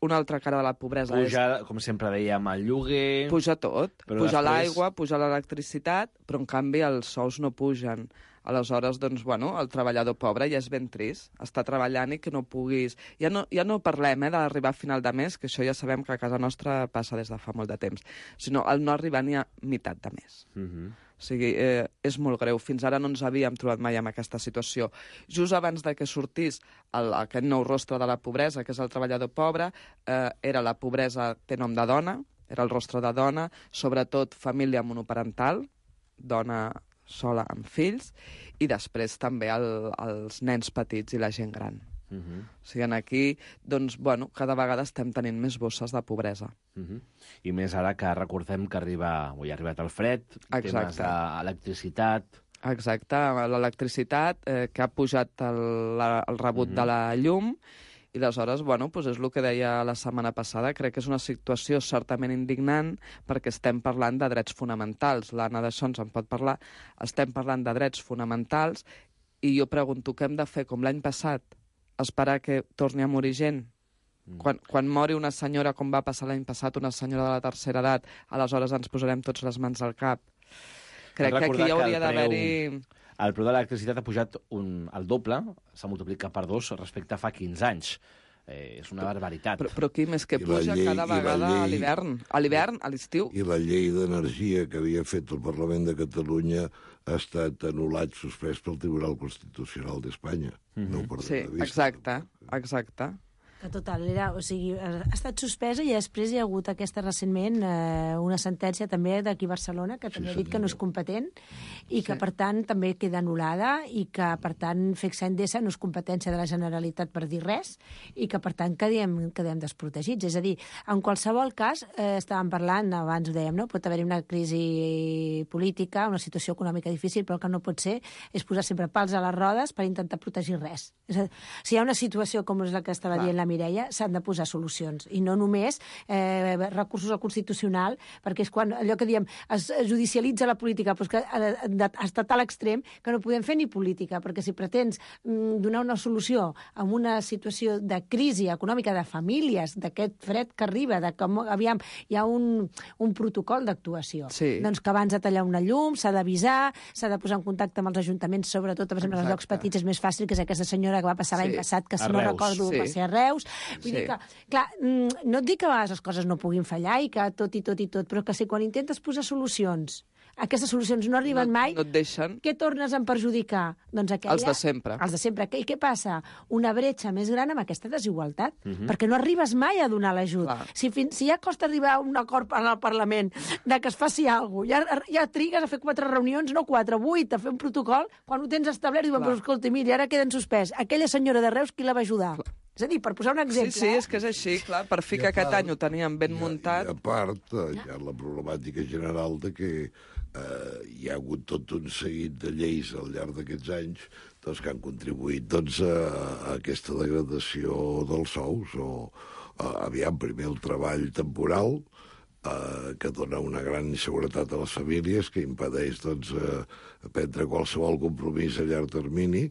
Una altra cara de la pobresa puja, com sempre dèiem, el lloguer... Puja tot. Puja l'aigua, puja l'electricitat, però en canvi els sous no pugen. Aleshores, doncs, bueno, el treballador pobre ja és ben trist. Està treballant i que no puguis... Ja no parlem d'arribar a final de mes, que això ja sabem que a casa nostra passa des de fa molt de temps, sinó el no arribar ni a meitat de mes. O sigui, és molt greu. Fins ara no ens havíem trobat mai en aquesta situació. Just abans de que sortís aquest nou rostre de la pobresa, que és el treballador pobre, era la pobresa té nom de dona, era el rostre de dona, sobretot família monoparental, dona sola amb fills, i després també els nens petits i la gent gran. O sigui, aquí, doncs, bueno, cada vegada estem tenint més bosses de pobresa. I més ara que recordem que ha arribat el fred, temes d'electricitat... Exacte, l'electricitat, que ha pujat el rebut de la llum, i aleshores, bueno, doncs és el que deia la setmana passada, crec que és una situació certament indignant perquè estem parlant de drets fonamentals. L'Anna d'això ens en pot parlar. Estem parlant de drets fonamentals i jo pregunto, què hem de fer com l'any passat? Esperar que torni a morir gent? Quan mori una senyora, com va passar l'any passat, una senyora de la tercera edat, aleshores ens posarem tots les mans al cap. Crec que aquí hauria d'haver-hi... El preu de l'electricitat ha pujat el doble, s'ha multiplicat per 2 respecte a fa 15 anys. És una barbaritat. Però Quim, és que puja cada vegada a l'hivern. A l'hivern, a l'estiu. I la llei d'energia que havia fet el Parlament de Catalunya ha estat anul·lat, suspès pel Tribunal Constitucional d'Espanya. No ho perdem de vista. Exacte. Que total, o sigui, ha estat suspesa i després hi ha hagut recentment una sentència també d'aquí a Barcelona que també ha dit que no és competent i que, per tant, també queda anul·lada i que, per tant, FECSA Endesa no és competència de la Generalitat per dir res i que, per tant, quedem desprotegits. És a dir, en qualsevol cas, estàvem parlant, abans ho dèiem, no? Pot haver-hi una crisi política, una situació econòmica difícil, però el que no pot ser és posar sempre pals a les rodes per intentar protegir res. És a dir, si hi ha una situació com és la que estava dient la Mireia, s'han de posar solucions, i no només recursos al Constitucional, perquè és quan allò que diem es judicialitza la política, però és que ha estat a l'extrem que no podem fer ni política, perquè si pretens donar una solució en una situació de crisi econòmica de famílies, d'aquest fred que arriba, de com aviam hi ha un protocol d'actuació. Doncs que abans de tallar una llum s'ha d'avisar, s'ha de posar en contacte amb els ajuntaments, sobretot, per exemple, als llocs petits és més fàcil, que és aquesta senyora que va passar l'any passat, que si no recordo va ser a Reus. Vull dir que, clar, no et dic que a vegades les coses no puguin fallar i que tot, però que si quan intentes posar solucions, aquestes solucions no arriben mai, no et deixen. Què tornes a perjudicar? Doncs aquella... Els de sempre. Els de sempre. I què passa? Una bretxa més gran amb aquesta desigualtat, perquè no arribes mai a donar l'ajut. Si ja costa arribar a un acord al Parlament de que es faci alguna cosa, ja trigues a fer 4 reunions, no 4, 8, a fer un protocol, quan ho tens establert, diuen, però escolta, mira, ara queden suspès. Aquella senyora de Reus, qui la va ajudar? És a dir, per posar un exemple... Sí, és que és així, clar, per fi que aquest any ho teníem ben muntat. I a part, hi ha la problemàtica general de que hi ha hagut tot un seguit de lleis al llarg d'aquests anys que han contribuït a aquesta degradació dels sous. Aviam, primer el treball temporal, que dona una gran inseguretat a les famílies, que impedeix prendre qualsevol compromís a llarg termini,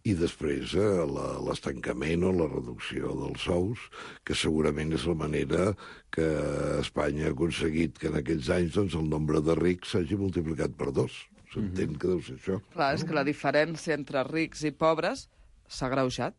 i després l'estancament o la reducció dels sous, que segurament és la manera que Espanya ha aconseguit que en aquells anys el nombre de rics s'hagi multiplicat per 2. S'entén que deu ser això. Clar, és que la diferència entre rics i pobres s'ha agreujat.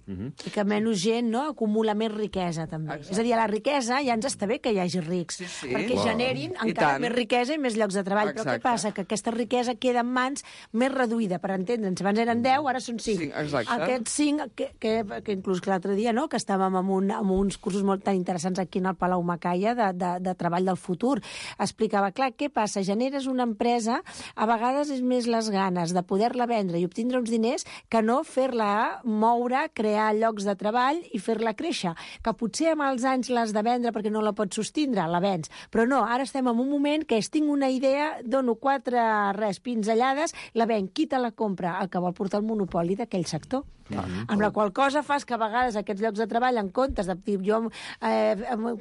I que menys gent acumula més riquesa, també. Exacte. És a dir, a la riquesa ja ens està bé que hi hagi rics, perquè generin encara més riquesa i més llocs de treball. Exacte. Però què passa? Que aquesta riquesa queda en mans més reduïda, per entendre'ns. Abans eren 10, ara són 5. Aquests 5, que inclús l'altre dia, que estàvem amb uns cursos molt tan interessants aquí al Palau Macaya de treball del futur, explicava, clar, què passa? Generes una empresa, a vegades és més les ganes de poder-la vendre i obtindre uns diners que no fer-la moure, crear llocs de treball i fer-la créixer. Que potser amb els anys l'has de vendre perquè no la pots sostindre, la vens. Però no, ara estem en un moment que tinc una idea, dono 4 pinzellades, la venc, qui te la compra? El que vol portar el monopoli d'aquell sector. Amb la qual cosa fas que a vegades aquests llocs de treball, en comptes de dir jo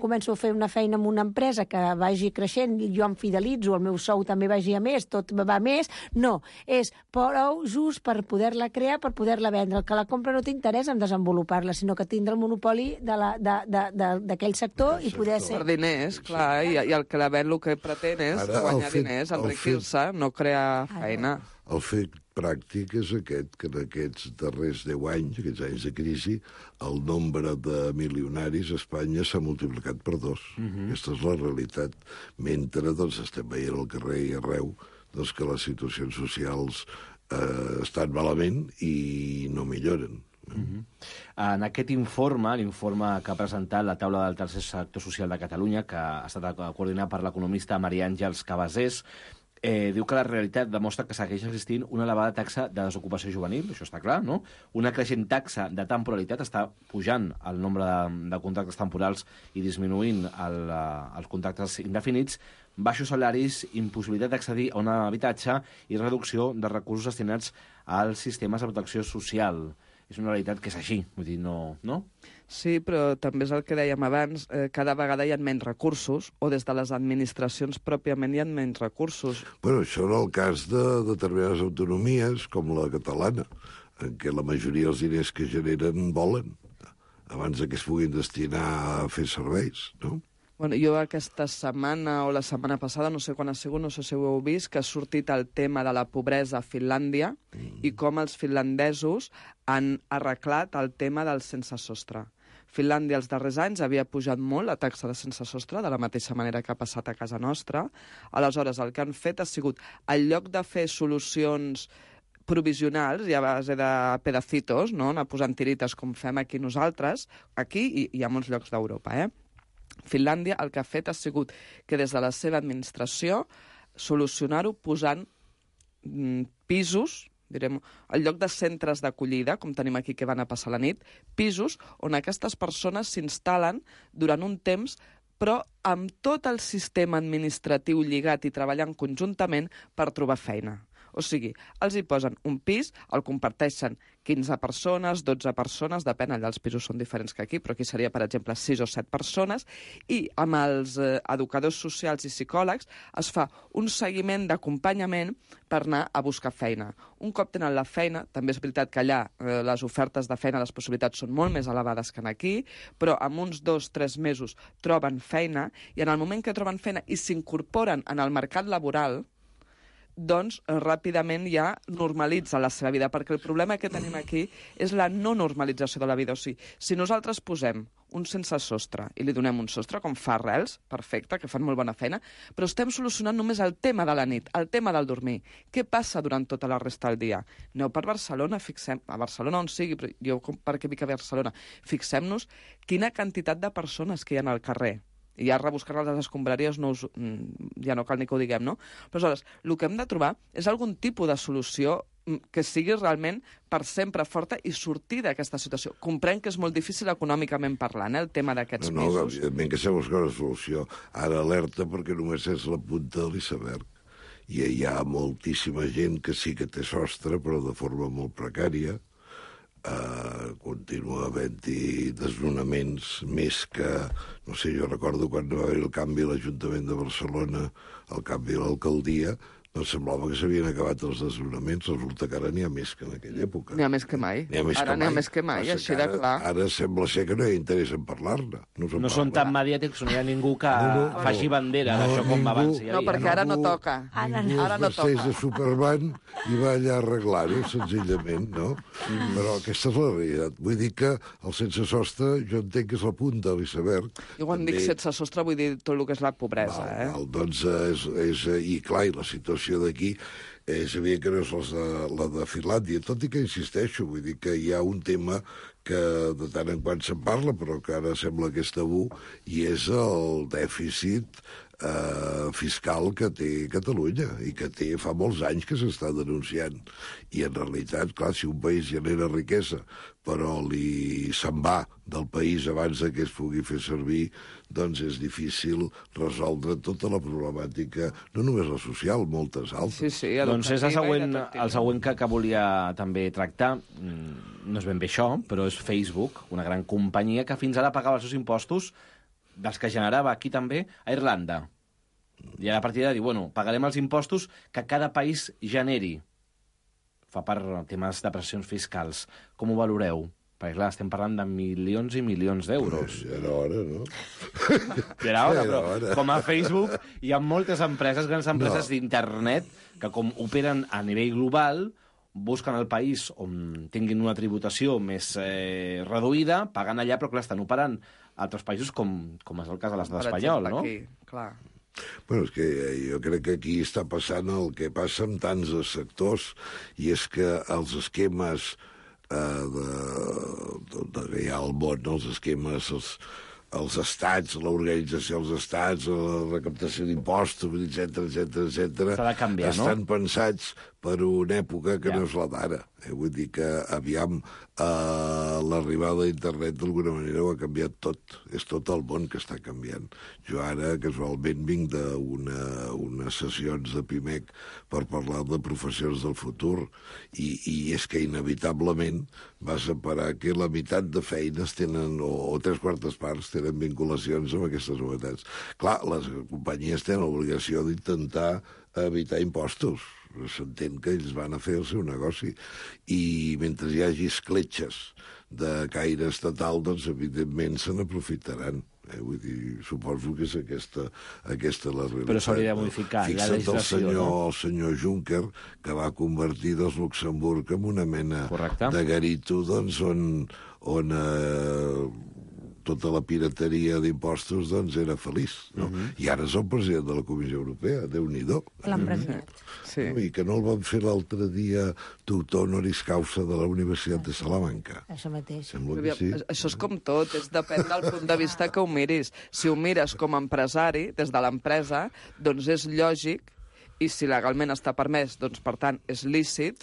començo a fer una feina en una empresa que vagi creixent, jo em fidelitzo, el meu sou també vagi a més, tot va a més, no, és prou just per poder-la crear, per poder-la vendre. El que la compra no t'interessa en desenvolupar-la, sinó que tindre el monopoli d'aquell sector i poder ser... Per diners, clar, i el que la ven el que pretén és guanyar diners, enriquir-se, no crear feina. El fet pràctic és aquest, que en aquests darrers 10 anys, aquests anys de crisi, el nombre de milionaris a Espanya s'ha multiplicat per 2. Aquesta és la realitat. Mentre estem veient al carrer i arreu que les situacions socials estan malament i no milloren. En aquest informe, l'informe que ha presentat la taula del tercer sector social de Catalunya, que ha estat coordinat per l'economista Maria Àngels Cabasés, diu que la realitat demostra que segueix existint una elevada taxa de desocupació juvenil, això està clar, no? Una creixent taxa de temporalitat, està pujant el nombre de contractes temporals i disminuint els contractes indefinits, baixos salaris, impossibilitat d'accedir a un habitatge i reducció de recursos destinats als sistemes de protecció social. És una realitat que és així, vull dir, no? Sí, però també és el que dèiem abans, cada vegada hi ha menys recursos, o des de les administracions pròpiament hi ha menys recursos. Bueno, això en el cas de determinades autonomies, com la catalana, en què la majoria dels diners que generen volen, abans que es puguin destinar a fer serveis, no? Bueno, jo aquesta setmana o la setmana passada, no sé quan ha sigut, no sé si ho heu vist, que ha sortit el tema de la pobresa a Finlàndia i com els finlandesos han arreglat el tema del sense sostre. Finlàndia els darrers anys havia pujat molt la taxa de sense sostre, de la mateixa manera que ha passat a casa nostra. Aleshores, el que han fet ha sigut, en lloc de fer solucions provisionals i a base de pedacitos, no? Anar posant tirites com fem aquí nosaltres, aquí i a molts llocs d'Europa, Finlàndia el que ha fet ha sigut que des de la seva administració solucionar-ho posant pisos, direm, en lloc de centres d'acollida, com tenim aquí que van a passar la nit, pisos on aquestes persones s'instal·len durant un temps però amb tot el sistema administratiu lligat i treballant conjuntament per trobar feina. O sigui, els hi posen un pis, el comparteixen 15 persones, 12 persones, depèn, allà els pisos són diferents que aquí, però aquí seria, per exemple, 6 o 7 persones, i amb els educadors socials i psicòlegs es fa un seguiment d'acompanyament per anar a buscar feina. Un cop tenen la feina, també és veritat que allà les ofertes de feina, les possibilitats són molt més elevades que aquí, però en uns 2-3 mesos troben feina, i en el moment que troben feina i s'incorporen en el mercat laboral, doncs ràpidament ja normalitza la seva vida, perquè el problema que tenim aquí és la no normalització de la vida. O sigui, si nosaltres posem un sense sostre i li donem un sostre, com fa Arrels, perfecte, que fan molt bona feina, però estem solucionant només el tema de la nit, el tema del dormir. Què passa durant tota la resta del dia? Aneu per Barcelona, a Barcelona on sigui, però jo perquè vic a Barcelona, fixem-nos quina quantitat de persones que hi ha al carrer. I ja rebuscar les escombraries ja no cal ni que ho diguem, no? Però aleshores, el que hem de trobar és algun tipus de solució que sigui realment per sempre forta i sortir d'aquesta situació. Comprenc que és molt difícil econòmicament parlant, el tema d'aquests pisos. No, evidentment que sabem buscar una solució. Ara alerta perquè només és la punta de l'iceberg. I hi ha moltíssima gent que sí que té sostre, però de forma molt precària. continua havent-hi desnonaments més que... No sé, jo recordo quan va haver el canvi a l'Ajuntament de Barcelona, el canvi a l'alcaldia, doncs semblava que s'havien acabat els desnonaments. Resulta que ara n'hi ha més que en aquella època. N'hi ha més que mai. Ara n'hi ha més que mai, així de clar. Ara sembla ser que no hi ha interès en parlar-ne. No són tan mediàtics, no hi ha ningú que faci bandera d'això com abans. No, perquè ara no toca. Ara no toca. De Superman i va allà a arreglar-ho, senzillament, no? Però aquesta és la realitat. Vull dir que el sense sostre jo entenc que és la punta de l'iceberg. Jo quan dic sense sostre vull dir tot el que és la pobresa, Doncs i clar, i la situació d'aquí és evident que no és la de Finlàndia, tot i que insisteixo, vull dir que hi ha un tema que de tant en quant se'n parla, però que ara sembla que és tabú, i és el dèficit fiscal que té Catalunya i que fa molts anys que s'està denunciant. I en realitat, clar, si un país genera riquesa però se'n va del país abans que es pugui fer servir, doncs és difícil resoldre tota la problemàtica, no només la social, moltes altres. Sí, doncs és el següent que volia també tractar. No és ben bé això, però és Facebook, una gran companyia que fins ara pagava els seus impostos dels que generava aquí també a Irlanda. I ara a partir de dir, bueno, pagarem els impostos que cada país generi. Fa per temes de pressions fiscals. Com ho valoreu? Perquè, clar, estem parlant de milions i milions d'euros. Ja era hora, no? Ja era hora, però com a Facebook hi ha moltes empreses, grans empreses d'internet, que com operen a nivell global, busquen el país on tinguin una tributació més reduïda, pagant allà, però clar, estan operant a altres països com és el cas de l'estat espanyol, no? Aquí, clar. Bueno, és que jo crec que aquí està passant el que passa amb tants sectors, i és que els esquemes que hi ha al món, els esquemes, els estats, l'organització dels estats, la recaptació d'impostos, etcètera, estan pensats per una època que no és la d'ara. Vull dir que aviam l'arribada d'internet d'alguna manera ho ha canviat tot. És tot el món que està canviant. Jo ara, casualment, vinc d'unes sessions de PIMEC per parlar de professions del futur, i és que inevitablement vas a parar que la meitat de feines tenen, o 3/4 parts, tenen vinculacions amb aquestes novetats. Clar, les companyies tenen l'obligació d'intentar evitar impostos. S'entén que ells van a fer el seu negoci. I mentre hi hagi escletxes de caire estatal, doncs, evidentment, se n'aprofitaran. Vull dir, suposo que és aquesta la realitat. Però s'hauria de modificar la legislació, no? El senyor Juncker, que va convertir Luxemburg en una mena de garito, doncs, on tota la pirateria d'impostos doncs era feliç, no? I ara és el president de la Comissió Europea, Déu-n'hi-do. L'han premiat. Sí. I que no el van fer l'altre dia doctor honoris causa de la Universitat de Salamanca. Això mateix. Sembla que sí. Això és com tot, depèn del punt de vista que ho miris. Si ho mires com a empresari, des de l'empresa, doncs és lògic, i si legalment està permès, doncs, per tant, és lícit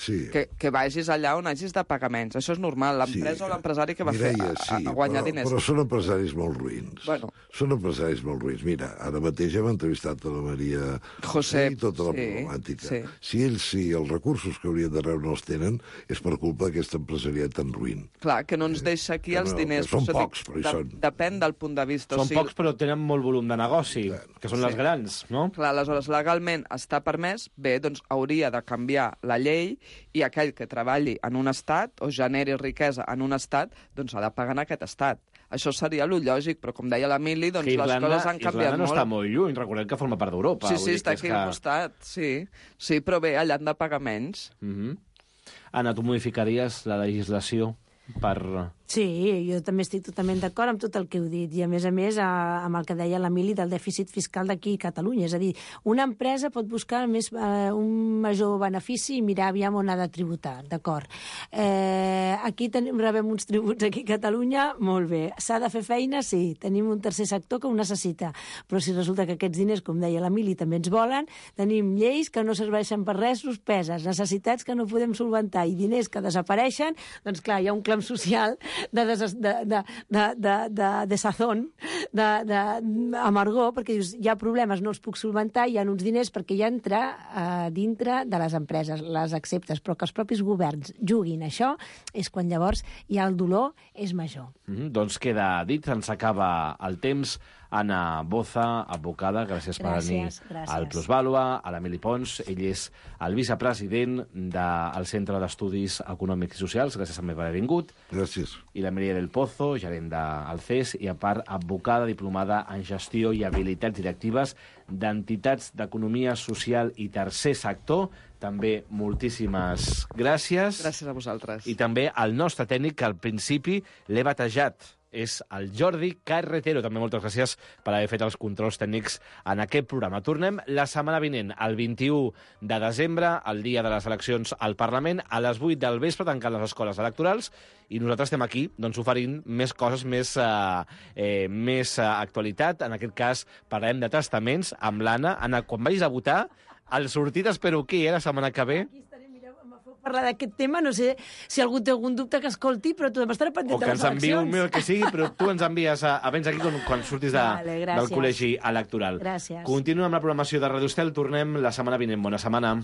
que vagis allà on hagis de pagar menys. Això és normal. L'empresa o l'empresari que va fer a guanyar diners. Però són empresaris molt ruïns. Són empresaris molt ruïns. Mira, ara mateix hem entrevistat a la Maria José i tota la problemàtica. Si ells, els recursos que haurien de rebre no els tenen, és per culpa d'aquesta empresariat tan ruïn. Clar, que no ens deixa aquí els diners. Són pocs, però hi són. Depèn del punt de vista. Són pocs, però tenen molt volum de negoci, que són les grans, no? Clar, aleshores, legalment està permès, bé, doncs hauria de canviar la llei i aquell que treballi en un estat o generi riquesa en un estat, doncs ha de pagar en aquest estat. Això seria lo lògic, però com deia l'Emili, doncs les coses han canviat molt. Irlanda no està molt lluny, recordem que forma part d'Europa. Sí, està aquí al costat, sí. Sí, però bé, allà han de pagar menys. Anna, tu modificaries la legislació per... Sí, jo també estic totalment d'acord amb tot el que heu dit, i a més, amb el que deia l'Emili del dèficit fiscal d'aquí a Catalunya. És a dir, una empresa pot buscar un major benefici i mirar aviam on ha de tributar, d'acord. Aquí rebem uns tributs aquí a Catalunya, molt bé. S'ha de fer feina, sí. Tenim un tercer sector que ho necessita, però si resulta que aquests diners, com deia l'Emili, també ens volen, tenim lleis que no serveixen per res, suspeses, necessitats que no podem solventar i diners que desapareixen, doncs clar, hi ha un clam social de sazón, d'amargor, perquè dius, hi ha problemes, no els puc solventar, hi ha uns diners perquè ja entra dintre de les empreses, les acceptes, però que els propis governs juguin això, és quan llavors ja el dolor és major. Doncs queda dit, ens acaba el temps. Anna Boza, advocada, gràcies per venir al Plusvàlua, a l'Emili Pons, ell és el vicepresident del Centre d'Estudis Econòmics i Socials, gràcies també per haver vingut. Gràcies. I la Maria del Pozo, gerent del CES, i a part, advocada diplomada en gestió i habilitats directives d'entitats d'economia social i tercer sector. També moltíssimes gràcies. Gràcies a vosaltres. I també al nostre tècnic, que al principi l'he batejat. És el Jordi Carretero. També moltes gràcies per haver fet els controls tècnics en aquest programa. Tornem la setmana vinent, el 21 de desembre, el dia de les eleccions al Parlament, a les 8 del vespre, tancant les escoles electorals, i nosaltres estem aquí oferint més coses, més actualitat. En aquest cas, parlarem de testaments amb l'Anna. Anna, quan vagis a votar, el sortit espero aquí, la setmana que ve. Parlar d'aquest tema, no sé si algú té algun dubte que escolti, però tu estarà pendent de les eleccions. O que ens enviï un mail que sigui, però tu ens envies a vens aquí quan surtis del col·legi electoral. Gràcies. Continuem amb la programació de Radio Estel, tornem la setmana vinent. Bona setmana.